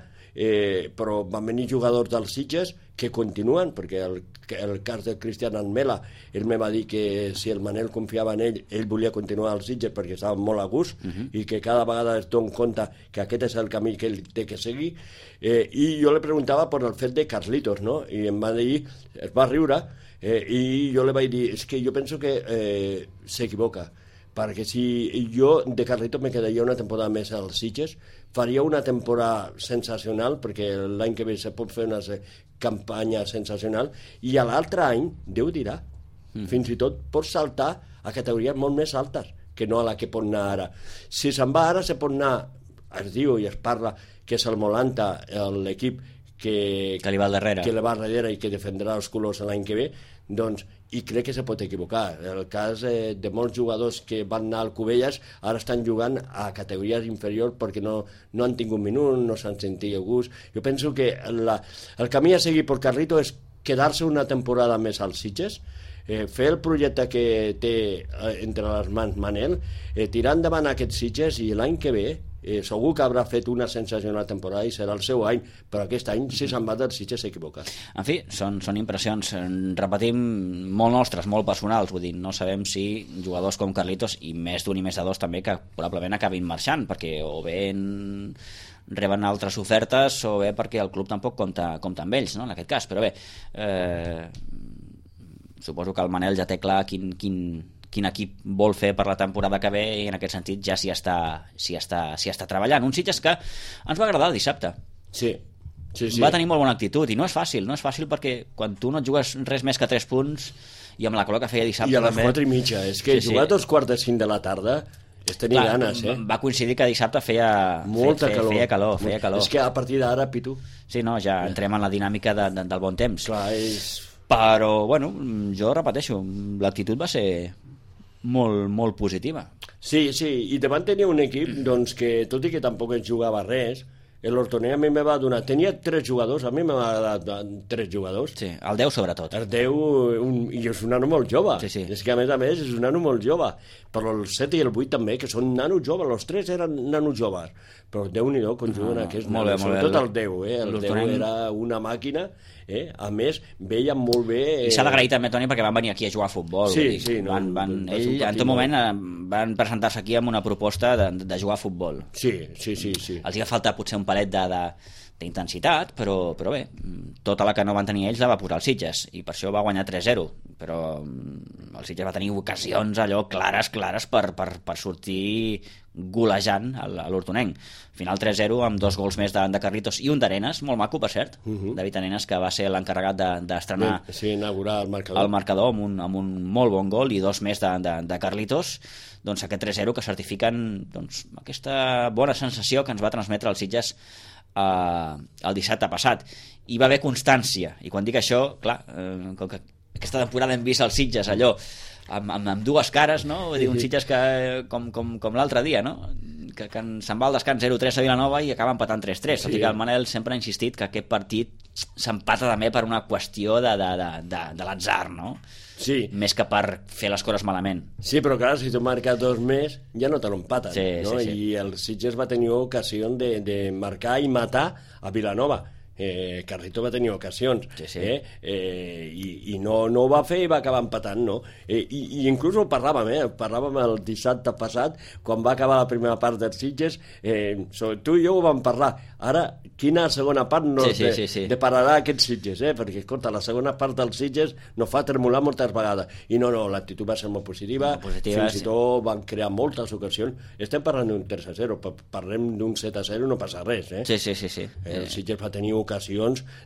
però van venir jugadors dels Sitges que continuen, perquè el cas del Cristian Almela, ell me va dir que si el Manel confiava en ell volia continuar als Sitges perquè estava molt a gust i que cada vegada es dona compte que aquest és el camí que ell té que seguir, i jo li preguntava per el fet de Carlitos, no? I em va dir, es va riure, i jo li vaig dir, és que jo penso que s'equivoca, perquè si jo de Carlitos me quedaria una temporada més als Sitges, faria una temporada sensacional, perquè l'any que ve se pot fer una campanya sensacional, i a l'altre any, Déu dirà, fins i tot pot saltar a categories molt més altes que no a la que pot anar ara. Si se'n va ara, se pot anar, es diu i es parla que és el Molanta, l'equip que li va al darrere i que defendrà els colors l'any que ve, doncs i crec que se pot equivocar. El cas de molts jugadors que van anar al Cubelles ara estan jugant a categories inferiors perquè no han tingut minut, no s'han sentit a gust. Jo penso que el camí a seguir per Carlito és quedar-se una temporada més als Sitges, fer el projecte que té entre les mans Manel, tirar endavant aquests Sitges i l'any que ve segur que haurà fet una sensacional temporada i serà el seu any, però aquest any si se'n va dels Sitges s'ha equivocat. En fi, són impressions, repetim, molt nostres, molt personals, vull dir, no sabem si jugadors com Carlitos i més d'un i més de dos també que probablement acabin marxant, perquè o bé reben altres ofertes o bé perquè el club tampoc compta amb ells, no? En aquest cas, però bé, suposo que el Manel ja té clar quin equip vol fer per la temporada que ve i en aquest sentit ja s'hi està treballant. Un Sitges que ens va agradar el dissabte. Sí. Va tenir molt bona actitud i no és fàcil perquè quan tu no et jugues res més que 3 punts i amb la calor que feia dissabte... I a les 4:30, és que jugar a 2:45 de la tarda és tenir ganes, Va coincidir que dissabte feia calor. És que a partir d'ara, Pitu... Sí, no, ja entrem en la dinàmica del bon temps. Clar, Però, bueno, jo repeteixo, l'actitud va ser molt positiva. Sí, i davant tenia un equip doncs, que, tot i que tampoc es jugava res, l'Hortoner a mi me va donar... Tenia 3 jugadors, a mi me va donar 3 jugadors. Sí, el 10 sobretot. El 10, i és un nano molt jove. Sí. És que a més és un nano molt jove. Però el 7 i el 8 també, que són nanos joves, els 3 eren nanos joves. Però Déu-n'hi-do, quan juguen aquests nanos. Sobretot el 10, el 10 era una màquina. A més, veien molt bé... I s'ha d'agrair també, Toni, perquè van venir aquí a jugar a futbol. Sí. Ell, en tot moment, van presentar-se aquí amb una proposta de jugar a futbol. Sí. Els hi va faltar potser un palet d'intensitat, però bé, tota la que no van tenir ells la va posar els Sitges, i per això va guanyar 3-0, però el Sitges va tenir ocasions allò clares per sortir golejant a l'Hortonenc. Final 3-0 amb 2 gols més de Carlitos i un d'Arenas, molt maco, per cert. David Arenas, que va ser l'encarregat d'estrenar inaugurar el marcador amb un molt bon gol i 2 més de Carlitos. Doncs aquest 3-0 que certifiquen aquesta bona sensació que ens va transmetre els Sitges el dissabte passat. Hi va haver constància, i quan dic això, clar, com que aquesta temporada hem vist els Sitges allò amb dues cares, no? Vull dir, un Sitges que, com l'altre dia, no? Que se'n va al descans 0-3 a Vilanova i acaba empatant 3-3. Tot i que el Manel sempre ha insistit que aquest partit s'empata també per una qüestió de l'atzar, no? Sí. Més que per fer les coses malament. Sí, però clar, si tu marques 2 més ja no te l'empaten, no? Sí. I el Sitges va tenir ocasió de marcar i matar a Vilanova. Carlito va tenir ocasions i no ho va fer i va acabar empatant, no? I inclús ho parlàvem el dissabte passat quan va acabar la primera part dels Sitges, tu i jo ho vam parlar. Ara, quina segona part depararà aquests Sitges, perquè escolta, la segona part dels Sitges no fa tremolar moltes vegades, i no, l'actitud va ser molt positiva, fins i tot van crear moltes ocasions. Estem parlant d'un 3-0, parlem d'un 7-0, no passa res, Sí. El Sitges va tenir ocasions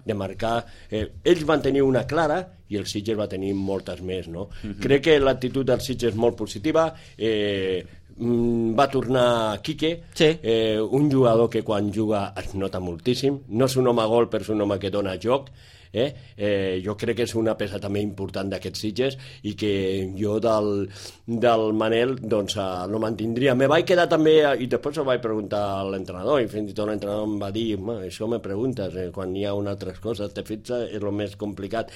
de marcar, ells van tenir una clara i el Sitges va tenir moltes més, no? Crec que l'actitud del Sitges és molt positiva. Va tornar Quique, un jugador que quan juga es nota moltíssim, no és un home gol però és un home que dona joc. Jo crec que és una peça també important d'aquests Sitges i que jo del Manel doncs no mantindria. Me vaig quedar també, i després ho vaig preguntar a l'entrenador, i fins i tot l'entrenador em va dir, això me preguntes, quan hi ha una altra cosa te fixes, és el més complicat.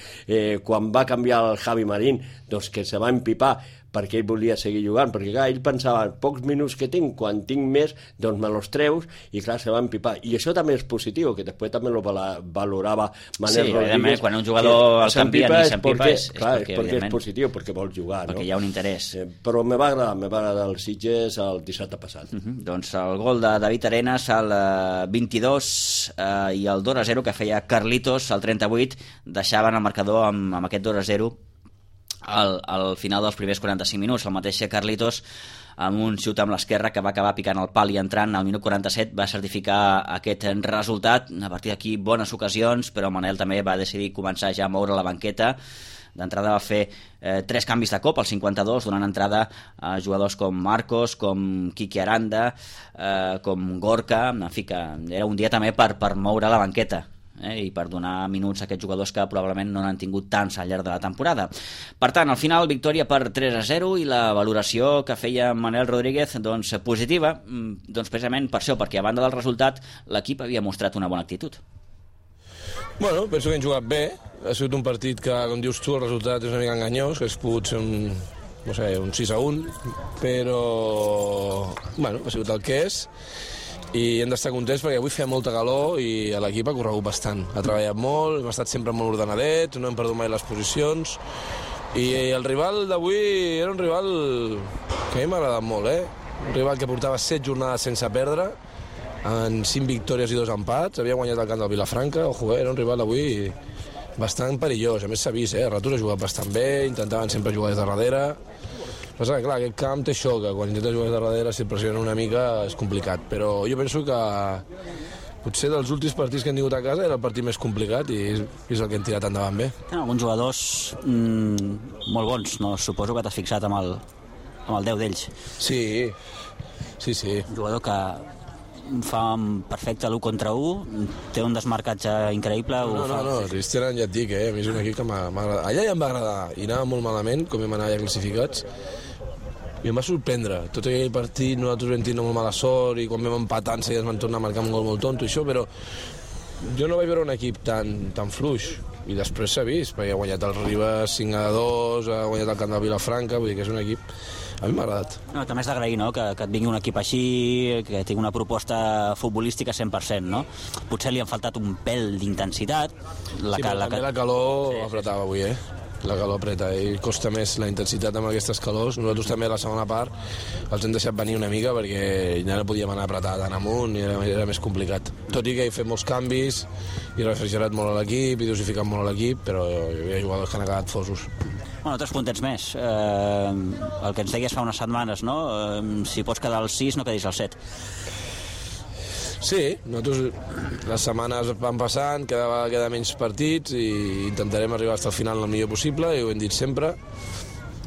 Quan va canviar el Javi Marín, doncs que se va empipar perquè ell volia seguir jugant, perquè clar, ell pensava, pocs minuts que tinc, quan tinc més doncs me los treus, i clar, se va empipar, i això també és positiu, que després també lo valorava Manel Rodríguez. Quan un jugador el canvia ni s'empipa és perquè és positiu, perquè vol jugar, perquè hi ha un interès. Però me va agradar el Sitges el dissabte passat. Doncs el gol de David Arenas al 22 i el 2-0 que feia Carlitos al 38 deixaven el marcador amb aquest 2-0 al final dels primers 45 minuts. El mateix Carlitos, amb un xut amb l'esquerra que va acabar picant el pal i entrant al minut 47, va certificar aquest resultat. A partir d'aquí, bones ocasions, però Manel també va decidir començar ja a moure la banqueta. D'entrada va fer 3 canvis de cop al 52, donant entrada a jugadors com Marcos, com Quique Aranda, com Gorka. En fi, que era un dia també per moure la banqueta. i per donar minuts a aquests jugadors que probablement no n'han tingut tants al llarg de la temporada. Per tant, al final, victòria per 3-0 i la valoració que feia Manel Rodríguez doncs, positiva, doncs, precisament per això, perquè a banda del resultat l'equip havia mostrat una bona actitud. Bueno, penso que hem jugat bé. Ha sigut un partit que, com dius tu, el resultat és una mica enganyós, que hagués pogut ser un 6-1, però bueno, ha sigut el que és i hem d'estar contents perquè avui feia molta calor i l'equip ha corregut bastant, ha treballat molt, hem estat sempre molt ordenadets, no hem perdut mai les posicions i el rival d'avui era un rival que a mi m'ha agradat molt, un rival que portava 7 jornades sense perdre, en 5 victòries i 2 empats, havia guanyat el camp del Vilafranca, era un rival avui bastant perillós, a més s'ha vist, a ratos ha jugat bastant bé, intentaven sempre jugar des de darrere. Però clar, aquest camp té això, que quan intentes jugar des de darrere, si et pressiona una mica, és complicat. Però jo penso que potser dels últims partits que hem tingut a casa era el partit més complicat i és el que hem tirat endavant bé. Tenen alguns jugadors molt bons, no? Suposo que t'has fixat amb el 10 d'ells. Sí. Un jugador que fa perfecte l'1 contra 1, té un desmarcatge increïble. No, Cristian ja et dic, a mi és un equip que m'ha agradat. Allà ja em va agradar, i anava molt malament, com vam anar ja classificats, i em va sorprendre. Tot aquell partit nosaltres vam tenir molt mala sort i quan vam empatar enseguida ens van tornar a marcar un gol molt tonto i això, però jo no vaig veure un equip tan fluix i després s'ha vist, perquè ha guanyat el Ribes 5-2, ha guanyat el camp de Vilafranca, vull dir que és un equip a mi m'ha agradat. No, també és d'agrair, no?, que et vingui un equip així, que tingui una proposta futbolística 100%, no? Potser li han faltat un pèl d'intensitat. També la calor apretava avui, La calor apreta i costa més la intensitat amb aquestes calors. Nosaltres també a la segona part els hem deixat venir una mica perquè ja no podíem anar apretar tant amunt i era més complicat. Tot i que he fet molts canvis i refrigerat molt a l'equip i dosificat molt a l'equip, però hi havia jugadors que han acabat fosos. Bueno, 3 puntets més. El que ens deies fa unes setmanes, no? Si pots quedar al 6, no quedis al 7. Sí, nosaltres les setmanes van passant, queda menys partits i intentarem arribar fins al final el millor possible, i ho hem dit sempre.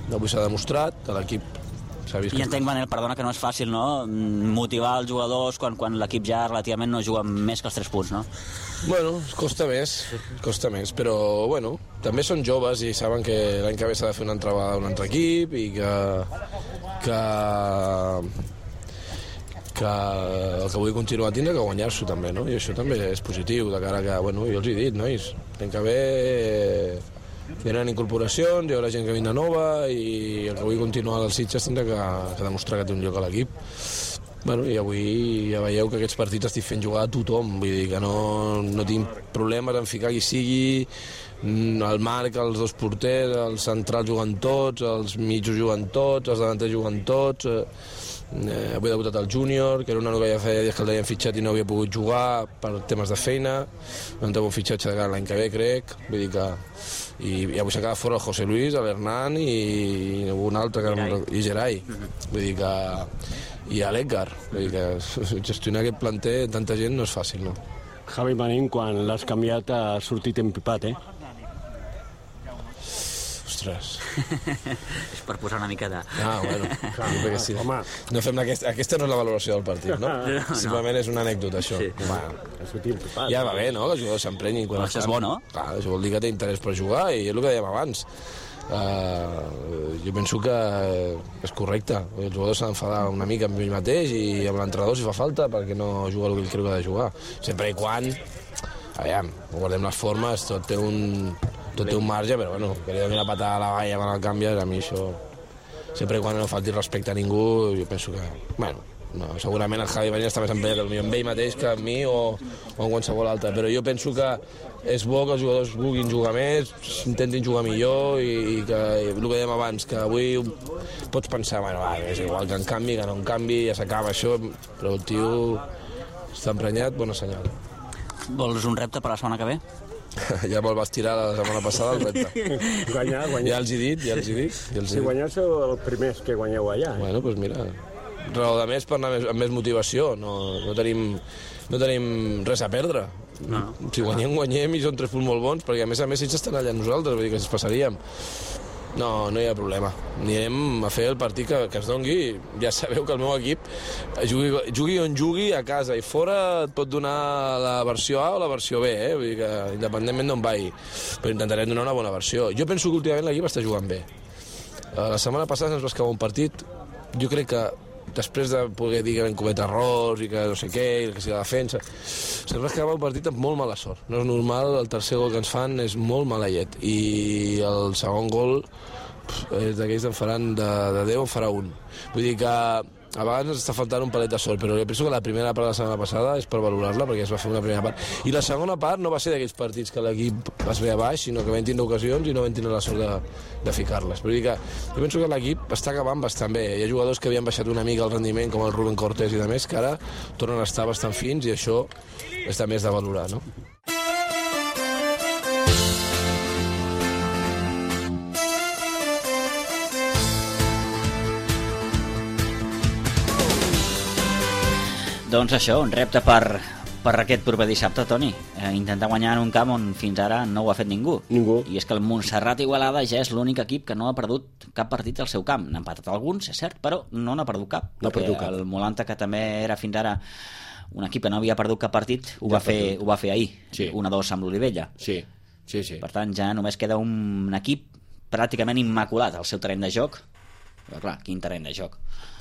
Avui s'ha demostrat, a l'equip s'ha vist... I entenc, Manel, perdona, que no és fàcil, no?, motivar els jugadors quan l'equip ja relativament no juga més que els 3 punts, no? Bueno, costa més, però, bueno, també són joves i saben que l'any que ve s'ha de fer una entrada d'un altre equip i que el que vull continuar tindrà que guanyar-s'ho també, no? I això també és positiu, de cara que, bueno, jo els he dit, nois, l'any que ve hi haurà incorporacions, hi haurà gent que vindrà nova i el que vull continuar als Sitges tindrà que demostrar que té un lloc a l'equip. Bueno, i avui ja veieu que aquests partits estic fent jugar a tothom, vull dir que no tinc problemes en ficar qui sigui, el Marc, els 2 porters, els centrals juguen tots, els mitjos juguen tots, els davanters juguen tots, avui ha debutat el júnior, que era un nano que ja feia dies que el havien fitxat i no havia pogut jugar per temes de feina, vam tenir un fitxatge de cara l'any que ve, crec, vull dir que... I avui s'ha quedat fora el José Luis, l'Hernán i un altre, i Gerai, vull dir que... i a l'Edgar, vull dir que gestionar aquest planter tanta gent no és fàcil, no? Javi Marín, quan l'has canviat, ha sortit empipat, Ostres. És per posar una mica de... Bueno, clar, sí. Home, no fem aquesta no és la valoració del partit, no? Simplement és una anècdota, això. Sí. Ja va bé, no?, que els jugadors s'emprenyin. Això és bo, no? Clar, això vol dir que té interès per jugar i és el que dèiem abans. Jo penso que és correcte. Els jugadors s'han d'enfadar una mica amb ell mateix i amb l'entrenador si fa falta perquè no juga el que ell creu que ha de jugar. Sempre i quan, aviam, guardem les formes, tot té un marge, però bueno, que li doni la patada a la valla quan el canvies, a mi això, sempre i quan no falti respecte a ningú, jo penso que, bueno, no, segurament el Javi Marín està més emprenyat amb ell mateix que amb mi o amb qualsevol altre, però jo penso que és bo que els jugadors vulguin jugar més, intentin jugar millor i que el que dèiem abans, que avui pots pensar, bueno, és igual que en canvi, que no en canvi, ja s'acaba això, però el tio està emprenyat, bona senyal. Vols un repte per la setmana que ve? Ja me'l vas tirar la setmana passada, el repte. Guanyar. Ja els he dit. Si guanyeu sou els primers que guanyeu allà. Bueno, doncs mira, raó de més per anar amb més motivació. No tenim res a perdre. Si guanyem i són 3 punts molt bons, perquè a més ells estan allà nosaltres, vull dir que ens passaríem. No, no hi ha problema. Anirem a fer el partit que es dongui. Ja sabeu que el meu equip, jugui on jugui, a casa i fora, et pot donar la versió A o la versió B, vull dir que independentment d'on vagi. Però intentarem donar una bona versió. Jo penso que últimament l'equip està jugant bé. La setmana passada ens va escapar un partit, jo crec que després de poder dir que vam cometre errors i que no sé què, i que si la defensa, se'ns va escapar un partit amb molt mala sort. No és normal, el tercer gol que ens fan és molt maleït, i el segon gol és d'aquells en faran de 10 en farà un. Vull dir que a vegades ens està faltant un palet de sort, però jo penso que la primera part de la setmana passada és per valorar-la, perquè es va fer una primera part. I la segona part no va ser d'aquells partits que l'equip es ve a baix, sinó que vam tindre ocasions i no vam tindre la sort de ficar-les. Vull dir que jo penso que l'equip està acabant bastant bé. Hi ha jugadors que havien baixat una mica el rendiment, com el Rubén Cortés i de més, que ara tornen a estar bastant fins, i això està més de valorar, no? Doncs això, un repte per aquest proper dissabte, Toni. Intentar guanyar en un camp on fins ara no ho ha fet ningú. I és que el Montserrat Igualada ja és l'únic equip que no ha perdut cap partit al seu camp. N'ha empatat alguns, és cert, però no n'ha perdut cap. El Molanta, que també era fins ara un equip que no havia perdut cap partit, ho va fer ahir, 1-2 amb l'Olivella. Sí. Per tant, ja només queda un equip pràcticament immaculat al seu terreny de joc. Però clar, quin terreny de joc.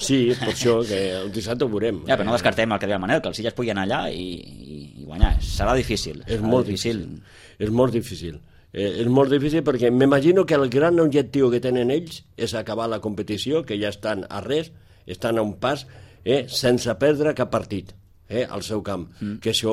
Sí, per això que el dissabte ho veurem. Ja, però no descartem el que deia el Manel, que el Sitges pugui anar allà i guanyar. Serà difícil. És molt difícil. És molt difícil perquè m'imagino que el gran objectiu que tenen ells és acabar la competició, que ja estan a res, estan a un pas, sense perdre cap partit al seu camp. Que això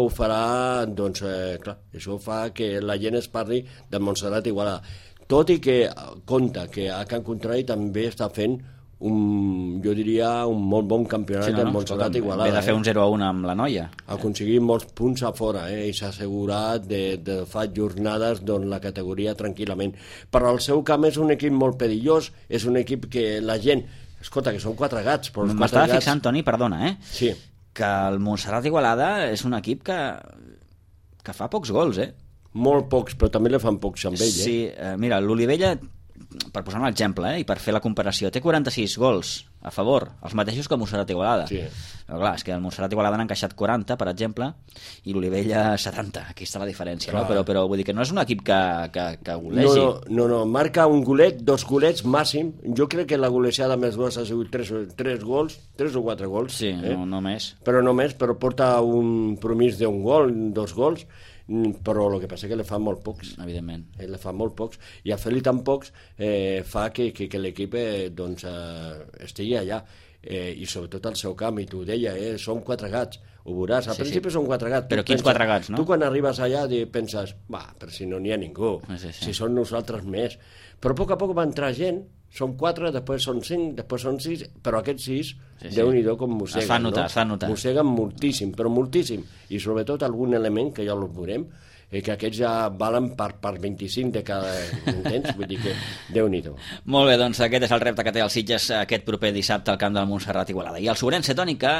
ho farà, doncs, clar, això fa que la gent es parli del Montserrat Igualada. Tot i que compta que a Can Contrari també està fent jo diria un molt bon campionat del Montserrat Igualada. Ve de fer un 0-1 amb la Noia. Ha aconseguit molts punts a fora i s'ha assegurat de fa jornades la categoria tranquil·lament. Però el seu camp és un equip molt perillós, és un equip que la gent... Escolta, que són 4 gats, però els 4 gats... M'estava fixant, Toni, perdona, Sí. Que el Montserrat Igualada és un equip que fa pocs gols, Molt pocs, però també li fan pocs amb ell, Sí, mira, l'Olivella, per posar un exemple, i per fer la comparació, té 46 gols a favor, els mateixos que el Montserrat Igualada. Sí. Però clar, és que el Montserrat Igualada n'ha encaixat 40, per exemple, i l'Olivella 70. Aquí està la diferència, no? Però vull dir que no és un equip que golegi. No, marca un golet, 2 golets màxim. Jo crec que la golejada més gols ha sigut 3 gols, 3 o 4 gols. Sí, no més. Però porta un promís d'un gol, 2 gols, però el que passa és que li fan molt pocs. Evidentment. Le fan molt pocs, i a fer-li tan pocs fa que l'equip estigui allà, i sobretot al seu camp, i tu ho deia, són 4 gats, ho veuràs, al principi són 4 gats. Però quins 4 gats, no? Tu quan arribes allà penses, però si no n'hi ha ningú, si són nosaltres més, però a poc va entrar gent, són 4, després són 5, després són 6, però aquests 6, Déu-n'hi-do com mosseguen. Es fa notar. Mosseguen moltíssim, però moltíssim, i sobretot algun element que ja el veurem, que aquests ja valen per 25 de cada intents, vull dir que Déu-n'hi-do. Molt bé, doncs aquest és el repte que té el Sitges aquest proper dissabte al camp del Montserrat Igualada. I el Sobrense, Toni, que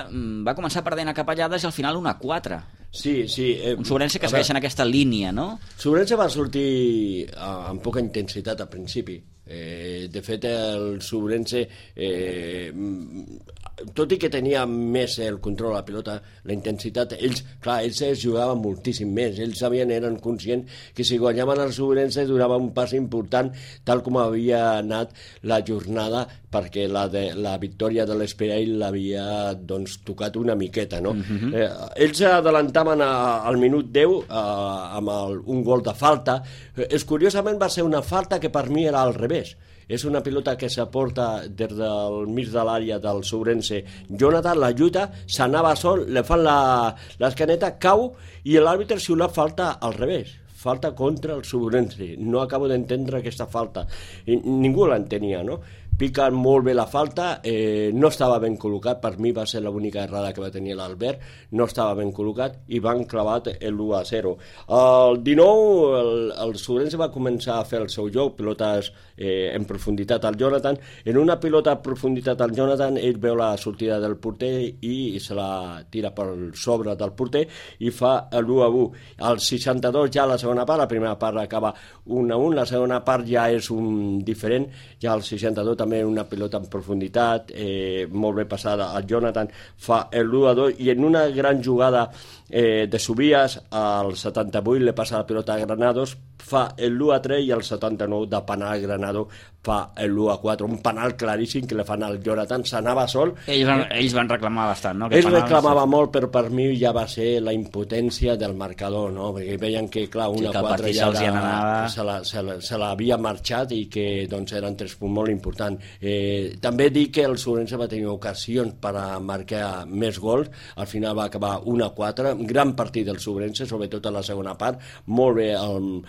va començar perdent a capellades i al final 1-4. Sí. Un Sobrense que segueix en aquesta línia, no? Sobrense va sortir amb poca intensitat al principi. De fet, el Sobrense, tot i que tenia més el control de la pilota, la intensitat, ells jugaven moltíssim més. Ells eren conscients que si guanyaven el Sobrense durava un pas important, tal com havia anat la jornada, perquè la victòria de l'Espirall l'havia tocat una miqueta, no? Ells adelantaven al minut 10 amb un gol de falta. Curiosament va ser una falta que per mi era al revés. És una pilota que s'aporta des del mig de l'àrea del Sobrense. Jonathan la lluita, s'anava sol, li fan l'escaneta, cau, i l'àrbitre xiula falta al revés. Falta contra el Sobrense. No acabo d'entendre aquesta falta. Ningú l'entenia, no? pica molt bé la falta, no estava ben col·locat, per mi va ser l'única errada que va tenir l'Albert, no estava ben col·locat i van clavat l'1-0. El 19 el Sobrense va començar a fer el seu joc, pilotes en profunditat al Jonathan. En una pilota a profunditat al Jonathan, ell veu la sortida del porter i se la tira per sobre del porter i fa l'1-1. Al 62 ja la segona part, la primera part acaba 1-1, la segona part ja és un diferent, ja al 62 també una pilota en profunditat, molt ben passada, el Jonathan fa l'1-2 i en una gran jugada de Subias, al 78 le passa la pilota a Granados, fa l'1-3 i al 79 de penal Granado fa l'1-4, un penal claríssim que le fan al Jonathan, s'anava sol. Ells van reclamar bastant, no? Ells reclamava molt, però per mi ja va ser la impotència del marcador, no? Perquè veien que, clar, 1-4 ja se l'havia marxat i que doncs, eren 3 punts molt importants. També dic que el Sobrense va tenir ocasions per a marcar més gols, al final va acabar 1-4, gran partit del Sobrense, sobretot a la segona part, molt bé el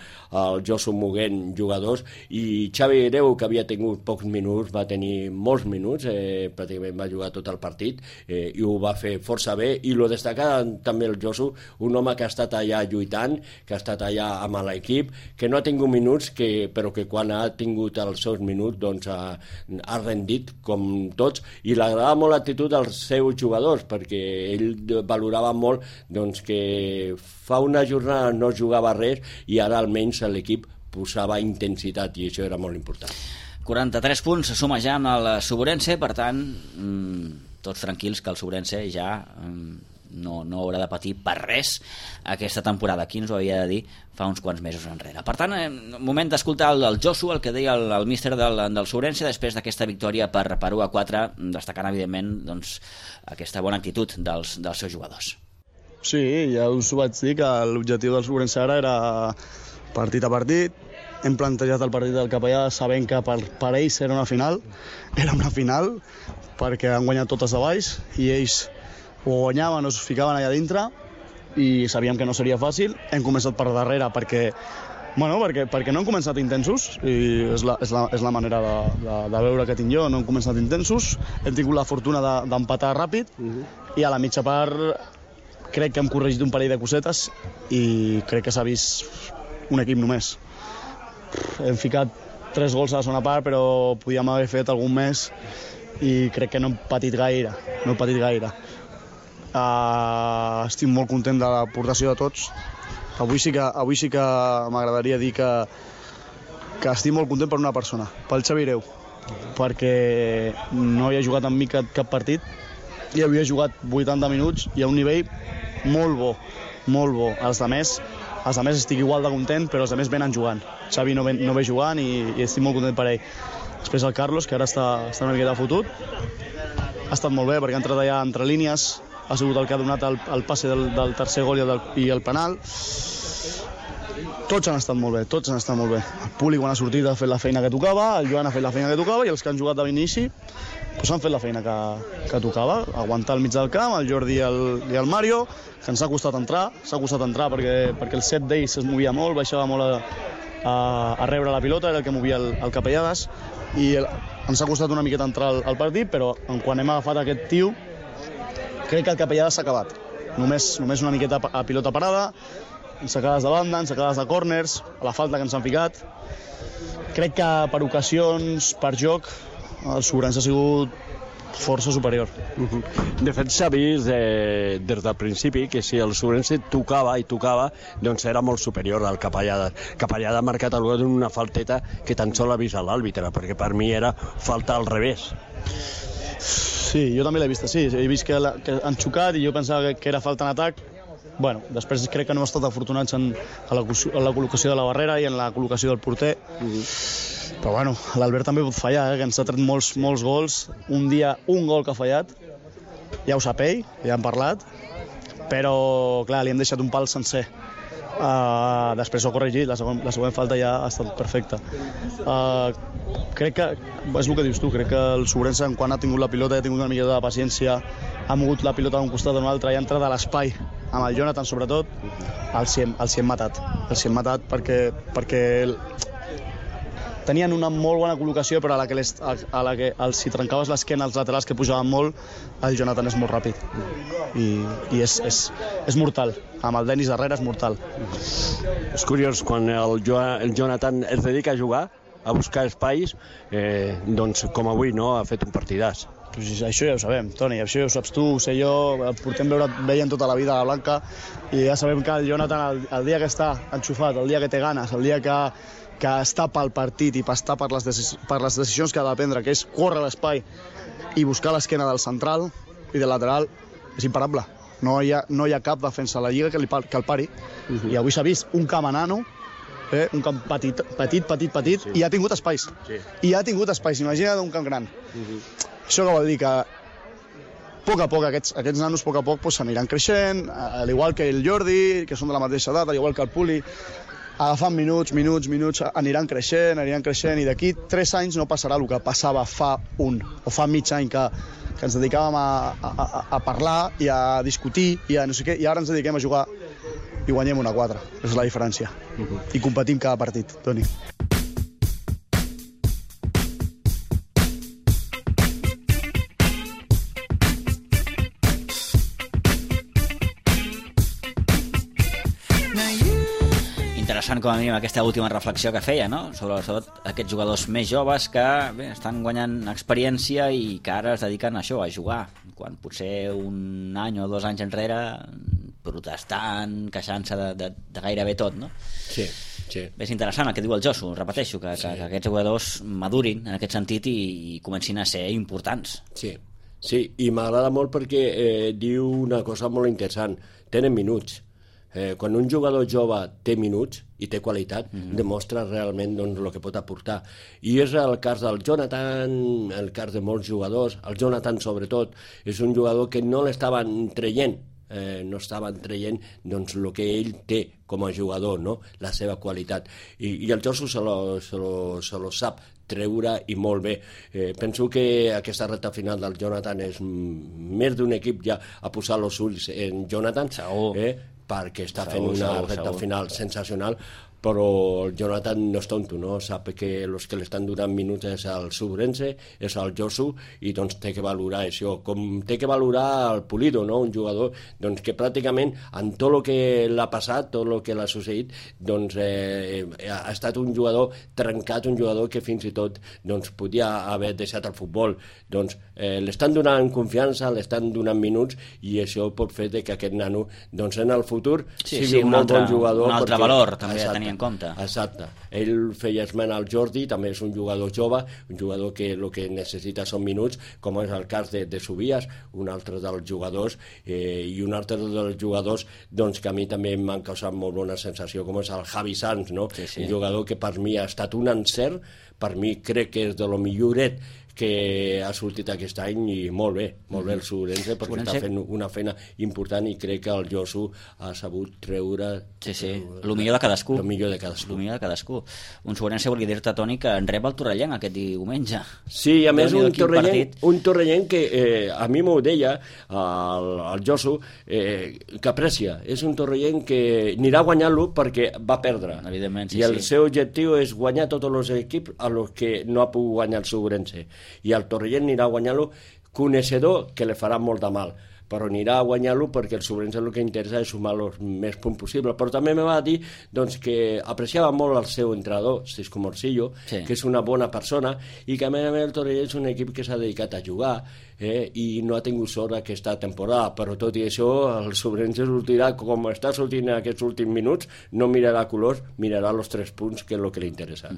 Josu Muguent, jugadors, i Xavi Greu, que havia tingut pocs minuts, va tenir molts minuts, pràcticament va jugar tot el partit i ho va fer força bé, i lo destacar també el Josu, un home que ha estat allà lluitant, que ha estat allà amb l'equip, que no ha tingut minuts, però que quan ha tingut els seus minuts doncs ha rendit com tots, i li agradava molt l'actitud dels seus jugadors, perquè ell valorava molt doncs, que fa una jornada no jugava res i ara almenys l'equip posava intensitat i això era molt important. 43 punts se suma ja amb el Sobrense, per tant tots tranquils que el Sobrense ja no haurà de patir per res aquesta temporada. Aquí ens ho havia de dir fa uns quants mesos enrere. Per tant, moment d'escoltar el Josu, el que deia el míster del Sobrense després d'aquesta victòria per 1-4, destacant evidentment doncs, aquesta bona actitud dels seus jugadors. Sí, ja us ho vaig dir que l'objectiu del Sobrense ara era partit a partit. Hem plantejat el partit del Capellà sabent que per ells era una final perquè han guanyat totes de baix i ells o guanyaven o es ficaven allà dintre i sabíem que no seria fàcil. Hem començat per darrere perquè no hem començat intensos i és la manera de veure que tinc jo, no hem començat intensos, hem tingut la fortuna d'empatar ràpid i a la mitja part crec que hem corregit un parell de cosetes i crec que s'ha vist un equip només. Hem ficat 3 gols a la segona part, però podíem haver fet algun més i crec que no hem patit gaire. Estic molt content de l'aportació de tots. Avui sí que m'agradaria dir que estic molt content per una persona, pel Xavi Greu, perquè no havia jugat amb mi cap partit i havia jugat 80 minuts i a un nivell molt bo. Els altres estic igual de content, però els altres venen jugant. Xavi no ve jugant i estic molt content per ell. Després el Carlos, que ara està una miqueta fotut, ha estat molt bé perquè ha entrat allà entre línies, ha sigut el que ha donat el passe del tercer gol i el penal. Tots han estat molt bé. El Puli, quan ha sortit, ha fet la feina que tocava, el Joan ha fet la feina que tocava i els que han jugat de l'inici han fet la feina que tocava, aguantar al mig del camp, el Jordi i el Mario, que ens ha costat entrar perquè el set d'ells es movia molt, baixava molt a rebre la pilota, era el que movia el Capellades, i ens ha costat una miqueta entrar al partit, però quan hem agafat aquest tio, crec que el Capellades s'ha acabat. Només una miqueta a pilota parada, ensacades de banda, ensacades de córners, a la falta que ens han ficat. Crec que per ocasions, per joc, el Sobrense ha sigut força superior. De fet, s'ha vist des del principi que si el Sobrense tocava, doncs era molt superior al Capellada. Capellada ha marcat el gol en una falteta que tan sol ha vist l'àrbitre, perquè per mi era falta al revés. Sí, jo també l'he vist així. He vist que han xocat i jo pensava que era falta en atac. Bueno, després crec que no hem estat afortunats en la col·locació de la barrera i en la col·locació del porter. Però bueno, l'Albert també pot fallar, que ens ha tret molts gols. Un dia, un gol que ha fallat, ja ho sap ell, ja hem parlat, però clar, li hem deixat un pal sencer. Després ho ha corregit, la següent falta ja ha estat perfecta. Crec que, és el que dius tu, crec que el Sobrense, quan ha tingut la pilota, ha tingut una miqueta de paciència, ha mogut la pilota d'un costat a un altre i ha entrat a l'espai, amb el Jonathan sobretot, els hi hem matat. Els hi hem matat perquè tenien una molt bona col·locació, però a la que els hi trencaves l'esquena als laterals que pujaven molt, el Jonathan és molt ràpid i és mortal. Amb el Dennis darrere és mortal. És curiós, quan el Jonathan es dedica a jugar, a buscar espais, doncs com avui, no? Ha fet un partidàs. Pues això ja ho sabem, Toni, això ja ho saps tu, ho sé jo, portem veient tota la vida a la Blanca i ja sabem que el Jonathan, el dia que està enxufat, el dia que té ganes, el dia que està pel partit i està per les decisions que ha de prendre, que és córrer l'espai i buscar l'esquena del central i del lateral, és imparable. No hi ha cap defensa a la Lliga que el pari. I avui s'ha vist un camp enano, un camp petit, i ha tingut espais. I ha tingut espais, imagina't un camp gran. Això que vol dir que a poc aquests nanos a poc s'aniran creixent, al igual que el Jordi, que són de la mateixa edat, al igual que el Puli, agafant minuts, aniran creixent, i d'aquí 3 anys no passarà el que passava fa mig any, que ens dedicàvem a parlar i a discutir i a no sé què, i ara ens dediquem a jugar i guanyem 1-4, és la diferència. I competim cada partit, Toni. Interessant com a mínim aquesta última reflexió que feia, no? Sobretot aquests jugadors més joves que estan guanyant experiència i que ara es dediquen a això, a jugar, quan potser un any o 2 anys enrere protestant, queixant-se de gairebé tot, no? Sí. És interessant el que diu el Josu, repeteixo, que aquests jugadors madurin en aquest sentit i comencin a ser importants. Sí, i m'agrada molt perquè diu una cosa molt interessant, tenen minuts. Quan un jugador jove té minuts i té qualitat, demostra realment el que pot aportar. I és el cas del Jonathan, el cas de molts jugadors, el Jonathan sobretot, és un jugador que no l'estaven traient, el que ell té com a jugador, no? La seva qualitat. I el Josu se lo sap treure i molt bé. Penso que aquesta recta final del Jonathan és més d'un equip ja a posar els ulls en Jonathan, perquè està fent una recta final sensacional, però el Jonathan no és tonto, no? Sap que els que l'estan donant minuts és el Subrense, és el Josu, i doncs té que valorar això, com té que valorar el Pulido, no? Un jugador que pràcticament en tot el que l'ha passat, tot el que l'ha succeït, ha estat un jugador trencat, un jugador que fins i tot podia haver deixat el futbol. L'estan donant confiança, l'estan donant minuts, i això pot fer que aquest nano en el futur sigui un molt bon jugador. Un altre valor també a tenir en compte. Exacte. Ell feia esment al Jordi, també és un jugador jove, un jugador que el que necessita són minuts, com és el cas de Subias, un altre dels jugadors, i un altre dels jugadors que a mi també m'han causat molt bona sensació, com és el Javi Sanz, no? Un jugador que per mi ha estat un encert, per mi crec que és de lo milloret que ha sortit aquest any, i molt bé el Subrense, perquè està fent una feina important, i crec que el Josu ha sabut treure el millor de cadascú. Un Subrense, volia dir-te, Toni, que en rep el Torrellenc aquest diumenge. Sí, a més un Torrellenc que a mi m'ho deia el Josu, que aprecia. És un Torrellenc que anirà a guanyar-lo perquè va perdre, i el seu objectiu és guanyar tots els equips a los que no ha pogut guanyar el Subrense, i el Torrellent anirà a guanyar-lo coneixedor que li farà molt de mal, però anirà a guanyar-lo perquè el Subrense el que interessa és sumar els més punts possible. Però també me va dir que apreciava molt el seu entrenador, Cisco Morcillo, que és una bona persona, i que a més el Torrellent és un equip que s'ha dedicat a jugar, i no ha tingut sort aquesta temporada, però tot i això el Subrense sortirà com està sortint en aquests últims minuts, no mirarà colors, mirarà els 3 punts, que és el que li interessa.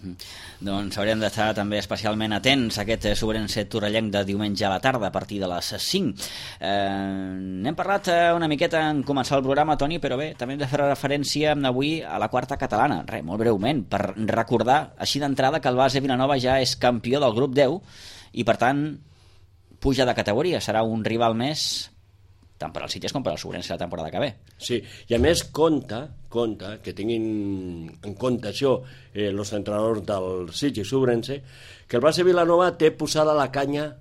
Doncs haurem d'estar també especialment atents a aquest Subrense Torrellenc de diumenge a la tarda a partir de les 5. N'hem parlat una miqueta en començar el programa, Toni, però bé, també hem de fer referència avui a la quarta catalana, molt breument, per recordar així d'entrada que el Base Vilanova ja és campió del grup 10 i per tant puja de categoria, serà un rival més tant per als Sitges com per al Subrense la temporada que ve. Sí, i a més compta que tinguin en compte això els entrenadors del Sitges i Subrense, que el Base Vilanova té posada la canya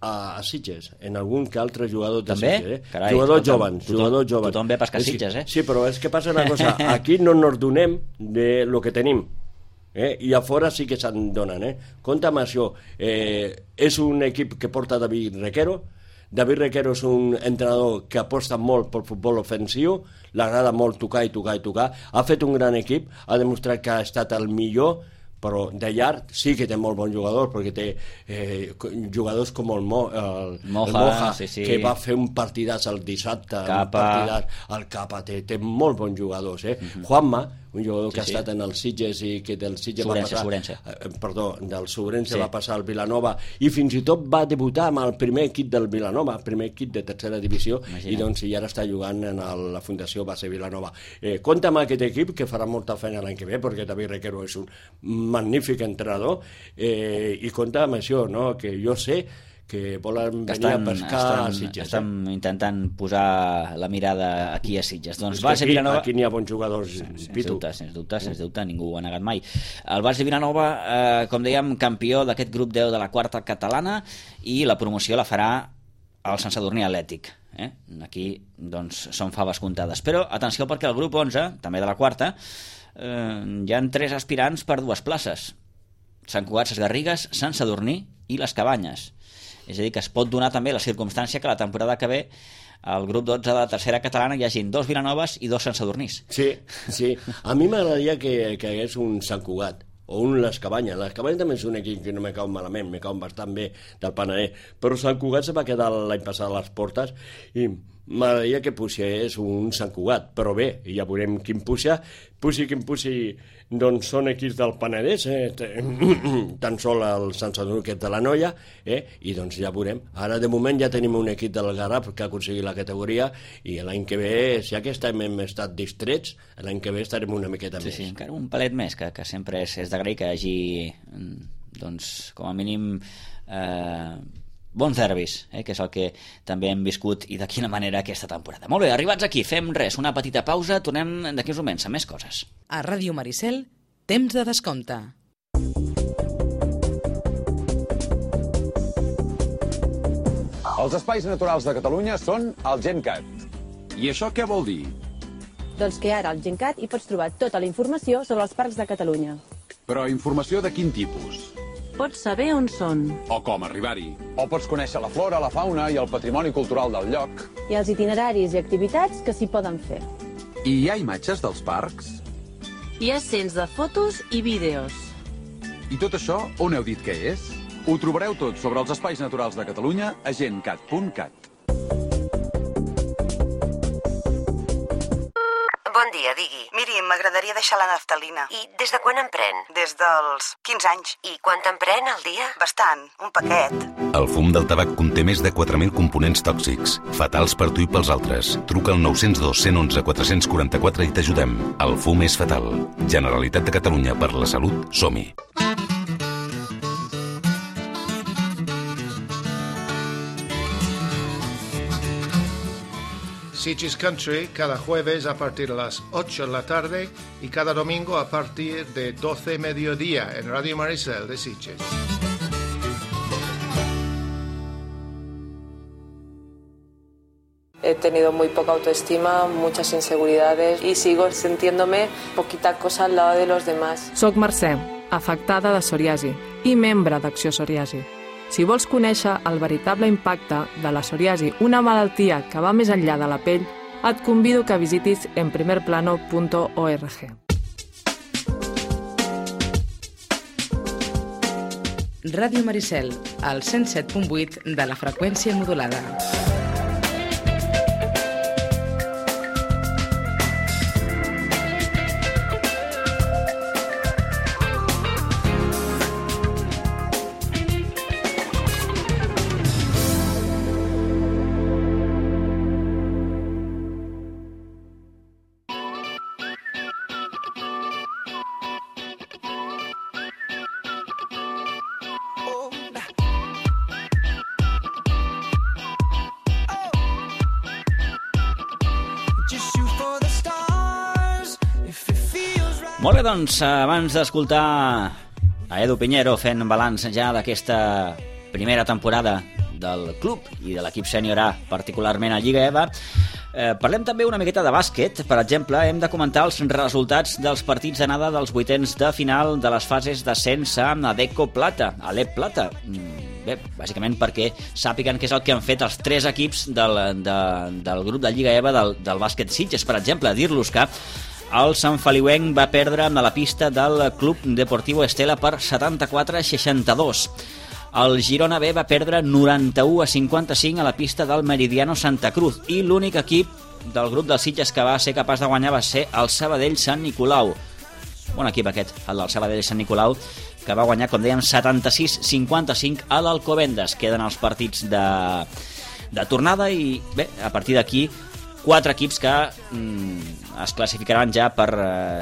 a Sitges, en algun que altre jugador de Sitges. Carai, jugadors jovens. Tothom ve a pescar Sitges, Sí, però és que passa una cosa, aquí no ens donem de lo que tenim. I a fora sí que se'n donen. Compte amb això. És un equip que porta David Requero. David Requero és un entrenador que aposta molt pel futbol ofensiu, l'agrada molt tocar i tocar i tocar. Ha fet un gran equip, ha demostrat que ha estat el millor, però de llarg sí que té molt bons jugadors, perquè té jugadors com el Moja, que va fer un partidàs el dissabte, el Capa, té molt bons jugadors. Juanma, un jugador que ha estat en els Sitges i que del Sitges va passar... del Sobrense va passar al Vilanova i fins i tot va debutar amb el primer equip del Vilanova, el primer equip de tercera divisió, i doncs ara està jugant en la Fundació Base Vilanova. Compte amb aquest equip, que farà molta feina l'any que ve, perquè David Requero és un magnífic entrenador, i compte amb això, que jo sé que volen venir a pescar a Sitges. Estan intentant posar la mirada aquí a Sitges. Doncs Base Vilanova... Aquí n'hi ha bons jugadors, Pitu. Sens dubte, ningú ho ha negat mai. El Base Vilanova, com dèiem, campió d'aquest grup 10 de la quarta catalana, i la promoció la farà el Sant Sadurní Atlètic. Aquí, doncs, són faves comptades. Però, atenció, perquè el grup 11, també de la quarta, hi ha 3 aspirants per 2 places. Sant Cugat, Ses Garrigues, Sant Sadurní i les Cabanyes. És a dir, que es pot donar també la circumstància que la temporada que ve al grup 12 de la tercera catalana hi hagin 2 Vilanoves i 2 Sant Sadurnís. Sí. A mi m'agradaria que hagués un Sant Cugat o un Les Cabanyes. Les Cabanyes també és un equip que no me cau malament, me cau bastant bé del Penedès, però Sant Cugat se va quedar l'any passat a les portes i m'agradaria que puixés un Sant Cugat, però bé, ja veurem quin puja. Puixi quin puixi, doncs són equips del Penedès, tan sol el Sant Sadurní, que és de la Noia, i doncs ja veurem. Ara de moment ja tenim un equip del Garraf que ha aconseguit la categoria, i l'any que ve, ja que hem estat distrets, l'any que ve estarem una miqueta més. Sí, encara un palet més, que sempre és d'agrair que hi hagi, doncs, com a mínim, bons derbis, que és el que també hem viscut, i de quina manera aquesta temporada. Molt bé, arribats aquí, fem una petita pausa, tornem d'aquí uns moments amb més coses. A Ràdio Maricel, temps de descompte. Els espais naturals de Catalunya són el GenCat. I això què vol dir? Doncs que ara al GenCat hi pots trobar tota la informació sobre els parcs de Catalunya. Però informació de quin tipus? Pots saber on són. O com arribar-hi. O pots conèixer la flora, la fauna i el patrimoni cultural del lloc. I els itineraris i activitats que s'hi poden fer. I hi ha imatges dels parcs? Hi ha cents de fotos i vídeos. I tot això, on heu dit que és? Ho trobareu tot sobre els espais naturals de Catalunya a gencat.cat. Bon dia, digui. Miri, m'agradaria deixar la naftalina. I des de quan en pren? Des dels 15 anys. I quant en pren al dia? Bastant, un paquet. El fum del tabac conté més de 4.000 components tòxics, fatals per tu i pels altres. Truca al 902 111 444 i t'ajudem. El fum és fatal. Generalitat de Catalunya, per la salut, som-hi. Sitges Country cada jueves a partir de las 8 de la tarde y cada domingo a partir de 12 mediodía en Radio Maricel de Sitges. He tenido muy poca autoestima, muchas inseguridades y sigo sintiéndome poquita cosa al lado de los demás. Soc Mercè, afectada de psoriasi i membre d'Acció Psoriasi. Si vols conèixer el veritable impacte de la psoriasi, una malaltia que va més enllà de la pell, et convido que visitis enprimerplano.org. Ràdio Maricel, al 107.8 de la freqüència modulada. Molt bé, doncs, abans d'escoltar a Edu Piñero fent balanç ja d'aquesta primera temporada del club i de l'equip sènior A, particularment a Lliga EVA, Parlem també una miqueta de bàsquet. Per exemple, hem de comentar els resultats dels partits d'anada dels vuitens de final de les fases d'ascens a Adecco Plata, a l'Ep Plata. Bé, bàsicament perquè sàpiguen què és el que han fet els 3 equips del grup de Lliga EVA del bàsquet Sitges. Per exemple, dir-los que el Sant Feliuenc va perdre a la pista del Club Deportivo Estela per 74-62. El Girona B va perdre 91-55 a la pista del Meridiano Santa Cruz i l'únic equip del grup dels Sitges que va ser capaç de guanyar va ser el Sabadell Sant Nicolau. Bon equip aquest, el del Sabadell Sant Nicolau, que va guanyar, com dèiem, 76-55 a l'Alcobendas. Queden els partits de tornada i, bé, a partir d'aquí 4 equips que es classificaran ja per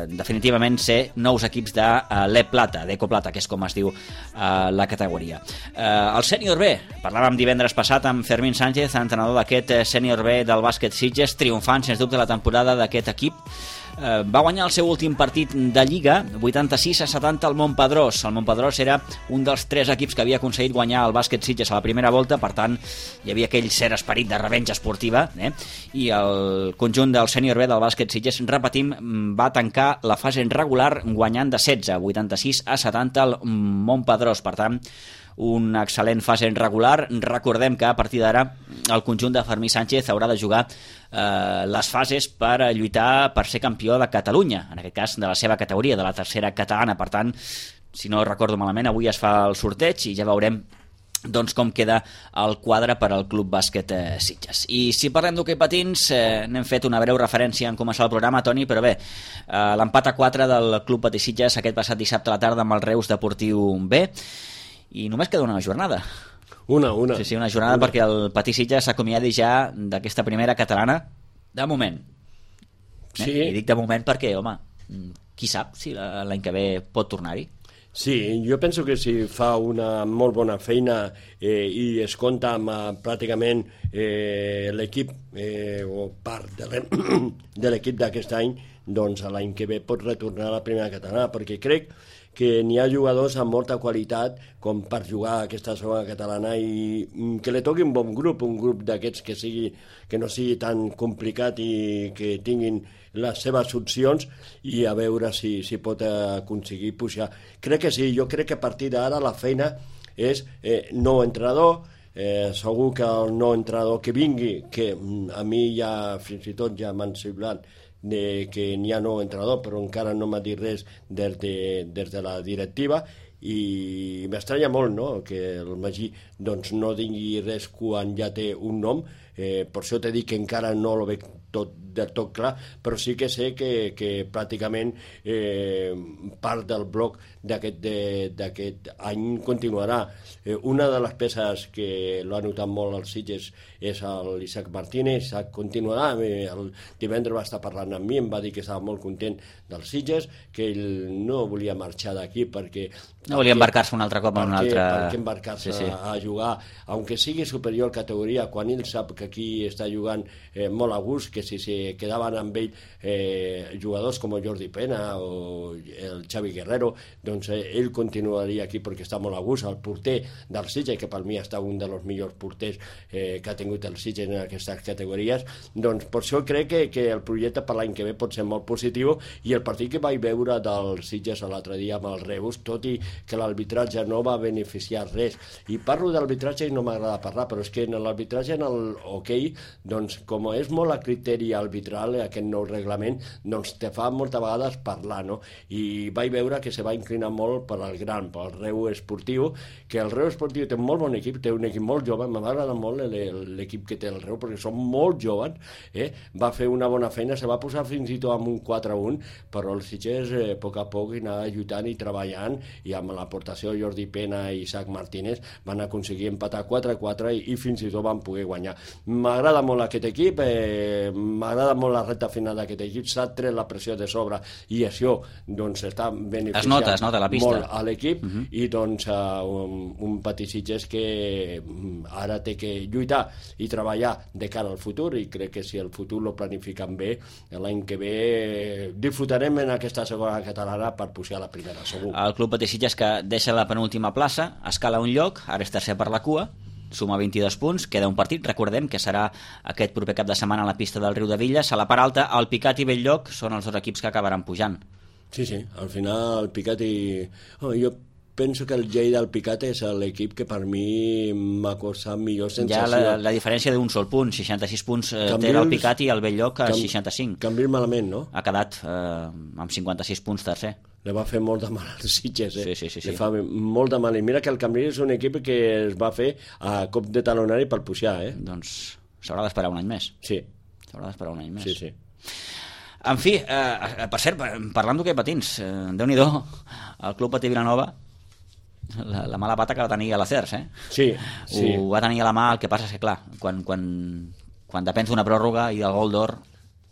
definitivament ser nous equips de l'Ep Plata, d'Eco Plata, que és com es diu la categoria. El sènior B, parlàvem divendres passat amb Fermín Sánchez, entrenador d'aquest sènior B del bàsquet Sitges, triomfant sens dubte la temporada d'aquest equip. Va guanyar el seu últim partit de Lliga 86-70 al Montpedrós. El Montpedrós era un dels 3 equips que havia aconseguit guanyar el bàsquet Sitges a la primera volta, per tant hi havia aquell cert esperit de revenja esportiva, i el conjunt del sènior B del bàsquet Sitges, repetim, va tancar la fase regular guanyant de 16, 86-70 al Montpedrós. Per tant, una excel·lent fase regular. Recordem que a partir d'ara el conjunt de Fermín Sánchez haurà de jugar les fases per lluitar per ser campió de Catalunya, en aquest cas de la seva categoria, de la tercera catalana. Per tant, si no recordo malament, avui es fa el sorteig i ja veurem doncs com queda el quadre per al Club Bàsquet Sitges. I si parlem d'hoquei patins, n'hem fet una breu referència en començar el programa, Toni, però bé, l'empat a 4 del Club Patí Sitges aquest passat dissabte a la tarda amb el Reus Deportiu B, i només queda una jornada. Una. Sí, una jornada perquè el Patí Sitges s'acomiadi ja d'aquesta primera catalana, de moment. Sí. I dic de moment perquè, home, qui sap si l'any que ve pot tornar-hi? Sí, jo penso que si fa una molt bona feina i es compta amb pràcticament l'equip o part de l'equip d'aquest any, doncs l'any que ve pot retornar a la primera catalana, perquè crec que n'hi ha jugadors amb molta qualitat com per jugar a aquesta segona catalana i que li toqui un bon grup, un grup d'aquests que no sigui tan complicat i que tinguin les seves opcions i a veure si pot aconseguir pujar. Crec que sí, jo crec que a partir d'ara la feina és nou entrenador, segur que el nou entrenador que vingui, que a mi ja fins i tot ja m'han semblat que n'hi ha nou entrenador, però encara no m'ha dit res des de la directiva i m'estranya molt, no?, que el Magí doncs, no digui res quan ja té un nom. Per això t'he dit que encara no lo veig del tot clar, però sí que sé que pràcticament part del bloc d'aquest any continuarà. Una de les peces que l'ha notat molt als Sitges és l'Isaac Martínez. Isaac continuarà. El divendres va estar parlant amb mi, em va dir que estava molt content dels Sitges, que ell no volia marxar d'aquí perquè no volia embarcar-se un altre cop en un altre... Per què embarcar-se a jugar, aunque sigui superior categoria, quan ell sap que aquí està jugant molt a gust, que si se quedaven amb ell jugadors com Jordi Pena o el Xavi Guerrero, doncs ell continuaria aquí perquè està molt a gust. El porter del Sitges, que per mi està un dels millors porters que ha tingut el Sitges en aquestes categories, doncs per això crec que el projecte per l'any que ve pot ser molt positiu. I el partit que vaig veure del Sitges l'altre dia amb el Reus, tot i que l'arbitratge no va beneficiar res, i parlo d'arbitratge i no m'agrada parlar, però és que en l'arbitratge en el hoquei, doncs com és molt a criteri arbitral aquest nou reglament, doncs te fa moltes vegades parlar, no? I vaig veure que se va inclinar molt per al gran, per al Reus Esportiu, que el Reus Esportiu té un molt bon equip, té un equip molt jove, m'agrada molt l'equip que té el Reus, perquè són molt joves, va fer una bona feina, se va posar fins i tot amb un 4-1, però els Sitges a poc anava lluitant i treballant, i amb l'aportació de Jordi Pena i Isaac Martínez van aconseguir empatar 4-4 i fins i tot van poder guanyar. M'agrada molt aquest equip, m'agrada molt la recta final d'aquest equip, s'ha tret la pressió de sobre i això doncs està beneficiant es nota la pista molt a l'equip. I doncs un Patí Sitges que ara té que lluitar i treballar de cara al futur, i crec que si el futur lo planifiquen bé, l'any que ve disfrutarem en aquesta segona catalana per pujar a la primera, segur. El Club Patí Sitges, que deixa la penúltima plaça, escala un lloc, ara és tercer per la cua, suma 22 punts, queda un partit, recordem que serà aquest proper cap de setmana a la pista del Riudevilles. A la part alta, el Picat i Belllloc són els dos equips que acabaran pujant. Sí, al final el Picat i... jo penso que el Lleida del Picat és l'equip que per mi m'ha costat millor sensació. Ja la diferència d'un sol punt, 66 punts té el Picat i el Belllloc a 65. Cambrils malament, no? Ha quedat amb 56 punts tercer. Le va fer molt de mal als Sitges, Sí. Le fa molt de mal. I mira que el Cambrils és un equip que es va fer a cop de talonari per pujar, Doncs s'haurà d'esperar un any més. Sí. S'haurà d'esperar un any més. Sí. En fi, per cert, parlant d'hoquei patins, Déu-n'hi-do, el Club Patí Vilanova, la mala pata que va tenir a la CERS, Sí. Ho va tenir a la mà, el que passa és que, clar, quan depens d'una pròrroga i del gol d'or,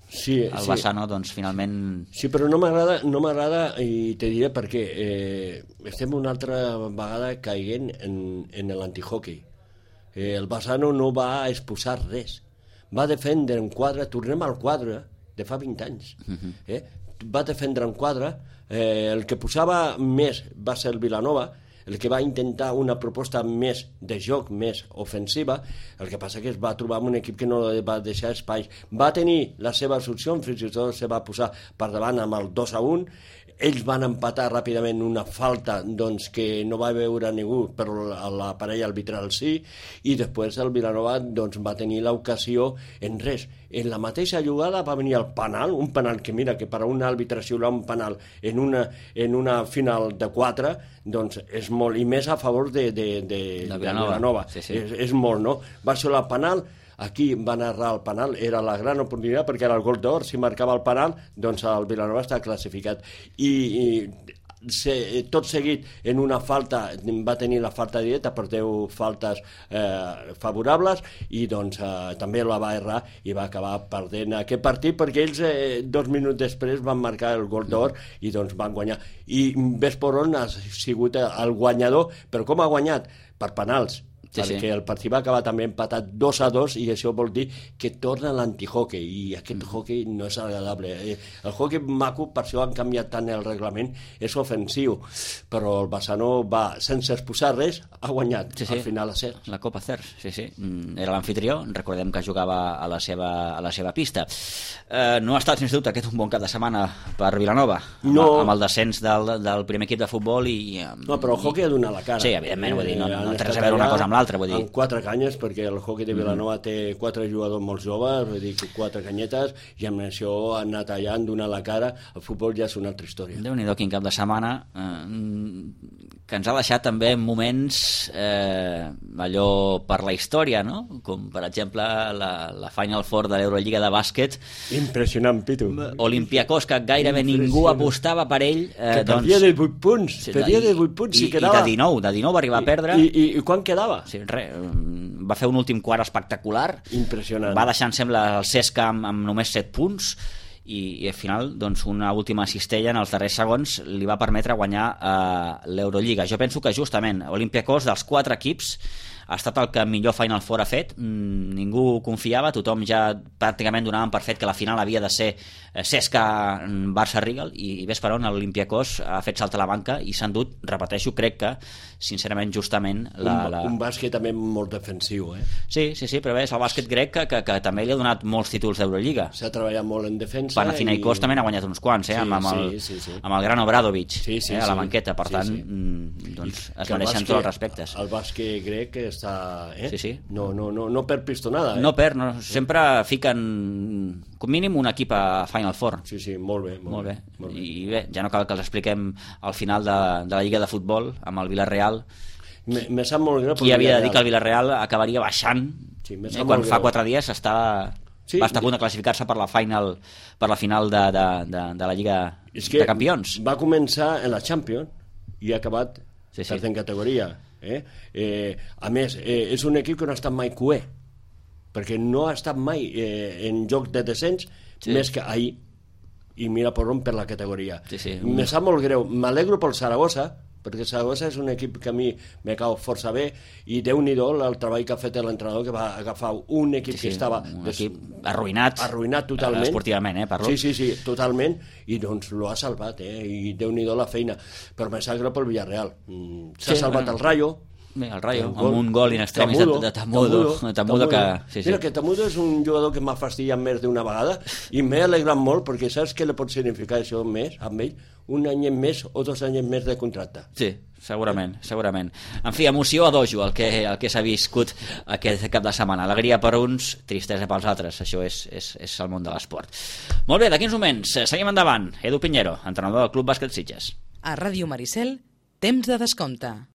el Bassano, doncs, finalment... Sí, però no m'agrada i te diré per què. Estem una altra vegada caient en l'antihockey. El Bassano no va exposar res. Va defendre en quadre, tornem al quadre de fa 20 anys. Va defendre en quadre, el que posava més va ser el Vilanova, el que va intentar una proposta més de joc, més ofensiva. El que passa que es va trobar amb un equip que no va deixar espais. Va tenir les seves opcions, fins i tot se va posar per davant amb el 2-1. Ells van empatar ràpidament una falta doncs, que no va veure ningú, però la parella arbitral sí, i després el Vilanova doncs, va tenir l'ocasió en res. En la mateixa jugada va venir el penal, un penal que mira que per a un àrbitre xiular un penal en una final de 4 doncs és molt, i més a favor de Vilanova. Sí. És molt, no? Va ser el penal. Aquí van errar el penal, era la gran oportunitat perquè era el gol d'or, si marcava el penal doncs el Vilanova està classificat i tot seguit en una falta va tenir la falta directa per 10 faltes favorables i doncs també la va errar i va acabar perdent aquest partit perquè ells 2 minuts després van marcar el gol d'or i doncs van guanyar i ves per on ha sigut el guanyador, però com ha guanyat? Per penals. Perquè el partit va acabar també empatat 2-2 i això vol dir que torna l'antihockey i aquest hockey no és agradable. El hockey maco, per això han canviat tant el reglament, és ofensiu, però el Bassano va, sense exposar res, ha guanyat al final a CERS. La Copa CERS, sí. Era l'anfitrió, recordem que jugava a la seva pista. No ha estat, sens dubte, aquest un bon cap de setmana per Vilanova, amb el descens del primer equip de futbol i... No, però el hockey ha donat la cara. Sí, evidentment, vull dir, no té res a veure una cosa amb l'altra, vull dir. En 4 canyes, perquè el hockey de Vilanova té 4 jugadors molt joves, vull dir, 4 canyetes, i amb això han anat allà, han donat la cara. El futbol ja és una altra història. Déu-n'hi-do, quin cap de setmana, que ens ha deixat també moments allò per la història, no? Com, per exemple, la Final Four de l'Eurolliga de bàsquet. Impressionant, Pitu. Olympiakos, que gairebé ningú apostava per ell. Que perdia de 8 punts. Perdia de 8 punts. I de 19 va arribar a perdre. I quan quedava? Sí, res, va fer un últim quart espectacular. Impressionant. Va deixar, em sembla, el CSKA amb només 7 punts i al final doncs, una última cistella en els darrers segons li va permetre guanyar l'Eurolliga. Jo penso que justament Olympiakos, dels 4 equips, ha estat el que millor Final Four ha fet. Ningú confiava, tothom ja pràcticament donaven per fet que la final havia de ser CSKA Barça-Rigal i ves per on l'Olympiakos ha fet saltar la banca i s'ha endut, repeteixo, crec que sincerament justament un bàsquet també molt defensiu, Sí, però és el bàsquet grec que també li ha donat molts títols d'Eurolliga. S'ha treballat molt en defensa. Panathinaikos també n'ha guanyat uns quants, amb el gran Obradovic a la banqueta, per tant doncs es mereixen tots els respectes. El bàsquet grec està... No perd pistonada. No perd, sempre fiquen com mínim un equip a Final Four. Sí, molt bé. I bé, ja no cal que els expliquem al final de la Lliga de Futbol amb el Villarreal. Me sap molt greu. Qui havia de dir que el Villarreal acabaria baixant quan fa 4 dies va estar a punt de classificar-se per la final de la Lliga de Campions. Va començar en la Champions i ha acabat tercera categoria. A més, és un equip que no ha estat mai cué, perquè no ha estat mai en joc de descens més que ahir, i mira per on per la categoria. Me sap molt greu, m'alegro pel Saragossa, perquè Saragossa és un equip que a mi me cau força bé i Déu-n'hi-do el treball que ha fet l'entrenador, que va agafar un equip que estava arruïnat totalment esportivament, parlo. Sí, totalment, i doncs lo ha salvat, i Déu-n'hi-do la feina, però me sap greu pel Villarreal. S'ha salvat el Rayo, Bé, el Rayo, amb un gol in extremis de Tamudo que... Mira, que Tamudo és un jugador que m'ha fastidiat més d'una vegada i m'he alegrat molt perquè saps què li pot significar això més amb ell? Un any més o 2 anys més de contracte. Sí, segurament. En fi, emoció a dojo, el que s'ha viscut aquest cap de setmana. Alegria per uns, tristesa pels altres. Això és el món de l'esport. Molt bé, d'aquí uns moments, seguim endavant. Edu Piñero, entrenador del Club Bàsquet Sitges. A Ràdio Maricel, temps de descompte.